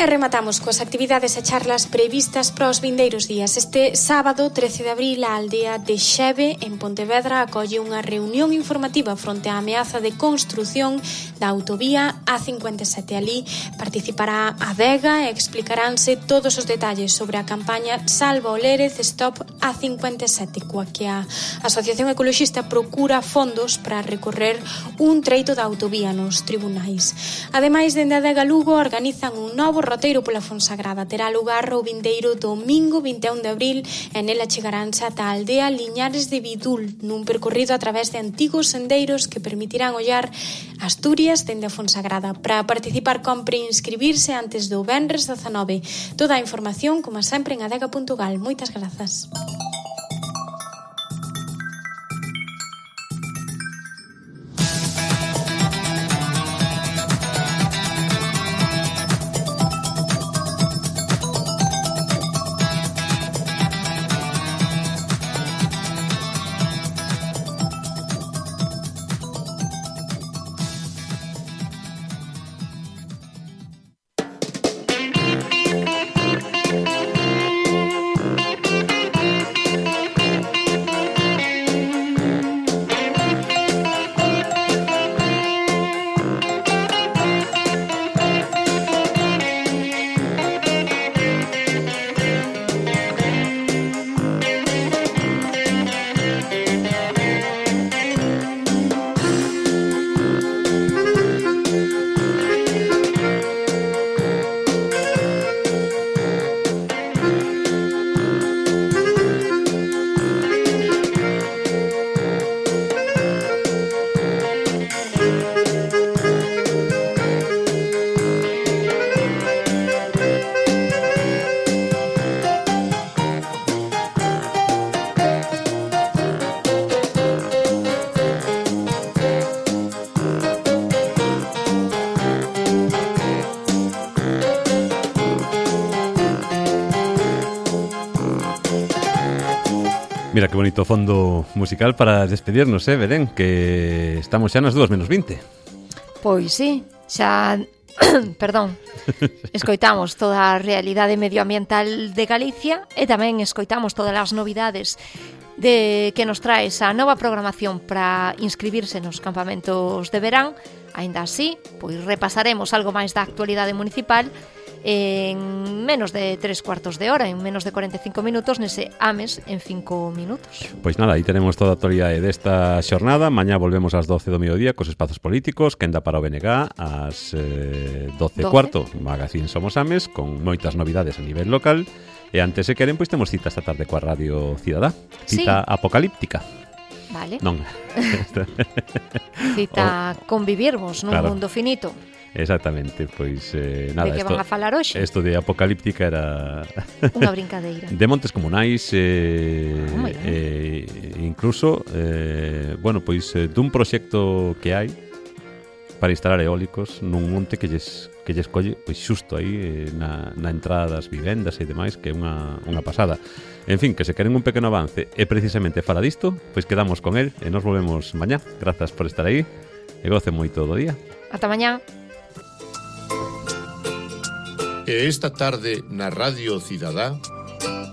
E rematamos coas actividades e charlas previstas para os vindeiros días. Este sábado, trece de abril, a aldea de Xeve, en Pontevedra, acolle unha reunión informativa fronte á ameaza de construción da autovía A cincuenta e sete. Ali participará a Adega e explicaránse todos os detalles sobre a campaña Salva o Lérez Stop A cincuenta e sete, coa que a Asociación Ecoloxista procura fondos para recorrer un treito da autovía nos tribunais. Ademais, dende a Adega Lugo organizan un novo roteiro pola Fonsagrada. Terá lugar o vindeiro domingo vinte e un de abril e nela chegaránse ata a aldea Liñares de Vidul, nun percorrido a través de antigos sendeiros que permitirán ollar Asturias dende a Fonsagrada. Para participar compre inscribirse antes do venres dezanove. Toda a información, como sempre, en adega punto gal. Moitas grazas. Mira que bonito fondo musical para despedirnos, eh, Belén, que estamos xa nas dúas menos vinte. Pois sí, xa... Perdón, escoitamos toda a realidade medioambiental de Galicia e tamén escoitamos todas as novidades de que nos trae esa nova programación para inscribirse nos campamentos de verán. Aínda así, pois repasaremos algo máis da actualidade municipal en menos de tres cuartos de hora, en menos de cuarenta e cinco minutos, nese Ames en cinco minutos. Pois nada, aí tenemos toda a actualidade desta xornada. Mañá volvemos ás doce do mediodía cos espazos políticos, quenda para o B N G ás eh, doce e cuarto, Magazín Somos Ames, con moitas novidades a nivel local. E antes, se queren, pois temos cita esta tarde coa Radio Cidadá. Cita sí. apocalíptica. Vale. Non. Cita oh. convivirmos nun claro. mundo finito. Exactamente, pois eh, nada, de que van a falar hoxe? Isto de apocalíptica era unha brincadeira. De montes comunais eh, oh, eh, incluso eh, bueno, pois eh, dun proxecto que hai para instalar eólicos nun monte que lles, que lles colle pois xusto aí eh, na, na entrada das vivendas e demais, que é unha, unha pasada. En fin, que se queren un pequeno avance e precisamente fala disto, pois quedamos con el e nos volvemos mañá. Grazas por estar aí e gocen moito do día. Ata mañá. E esta tarde na Radio Cidadá,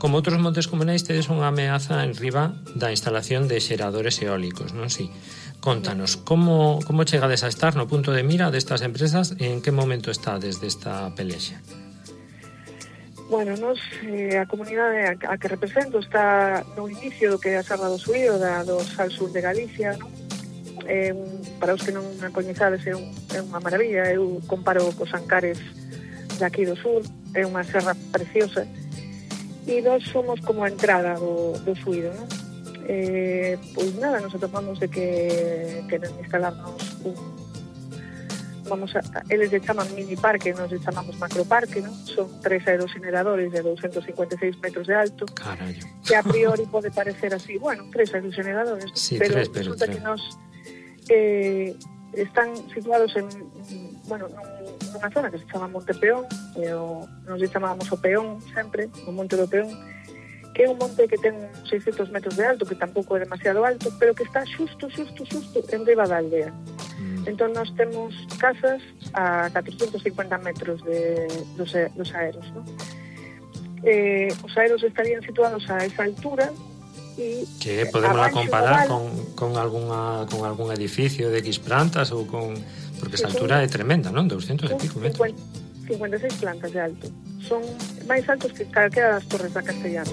como outros montes comunais, tedes unha ameaza en riba da instalación de xeradores eólicos, non si? Contanos, como, como chegades a estar no punto de mira destas empresas e en que momento está desde esta pelexa? Bueno, nos, eh, a comunidade a, a que represento está no inicio do que é a Serra do Suído, da, do Sal Sur de Galicia, non? Eh, para os que non a coñezades é, un, é unha maravilla. Eu comparo cos Ancares de aquí do sur, é unha serra preciosa, e nós somos como a entrada do, do Suído, non? Eh, pois nada, nos atopamos de que queren instalarnos un, vamos a, eles lle chaman mini parque, nos lle chamamos macroparque, non? Son tres aerogeneradores de doscientos cincuenta e seis metros de alto. Carallo. Que a priori pode parecer así, bueno, tres aerogeneradores, sí, pero tres, pero resulta tres. que nos eh, están situados en, bueno, nunha zona que se chama Monte Peón, e o, nos lle chamábamos o Peón sempre, o Monte do Peón, que é un monte que ten seiscentos metros de alto, que tampouco é demasiado alto, pero que está xusto, xusto, xusto en riba da aldea. Mm. Entón nós temos casas a catrocentos cincuenta metros de, dos, dos aeros, ¿no? Eh, os aeros estarían situados a esa altura e que podemos a comparar con, con, alguna, con algún edificio de X plantas ou con... Porque esa altura é tremenda, non? doscientos e pico metros. cincuenta e seis plantas de alto. Son máis altos que calquera das torres da Castellana.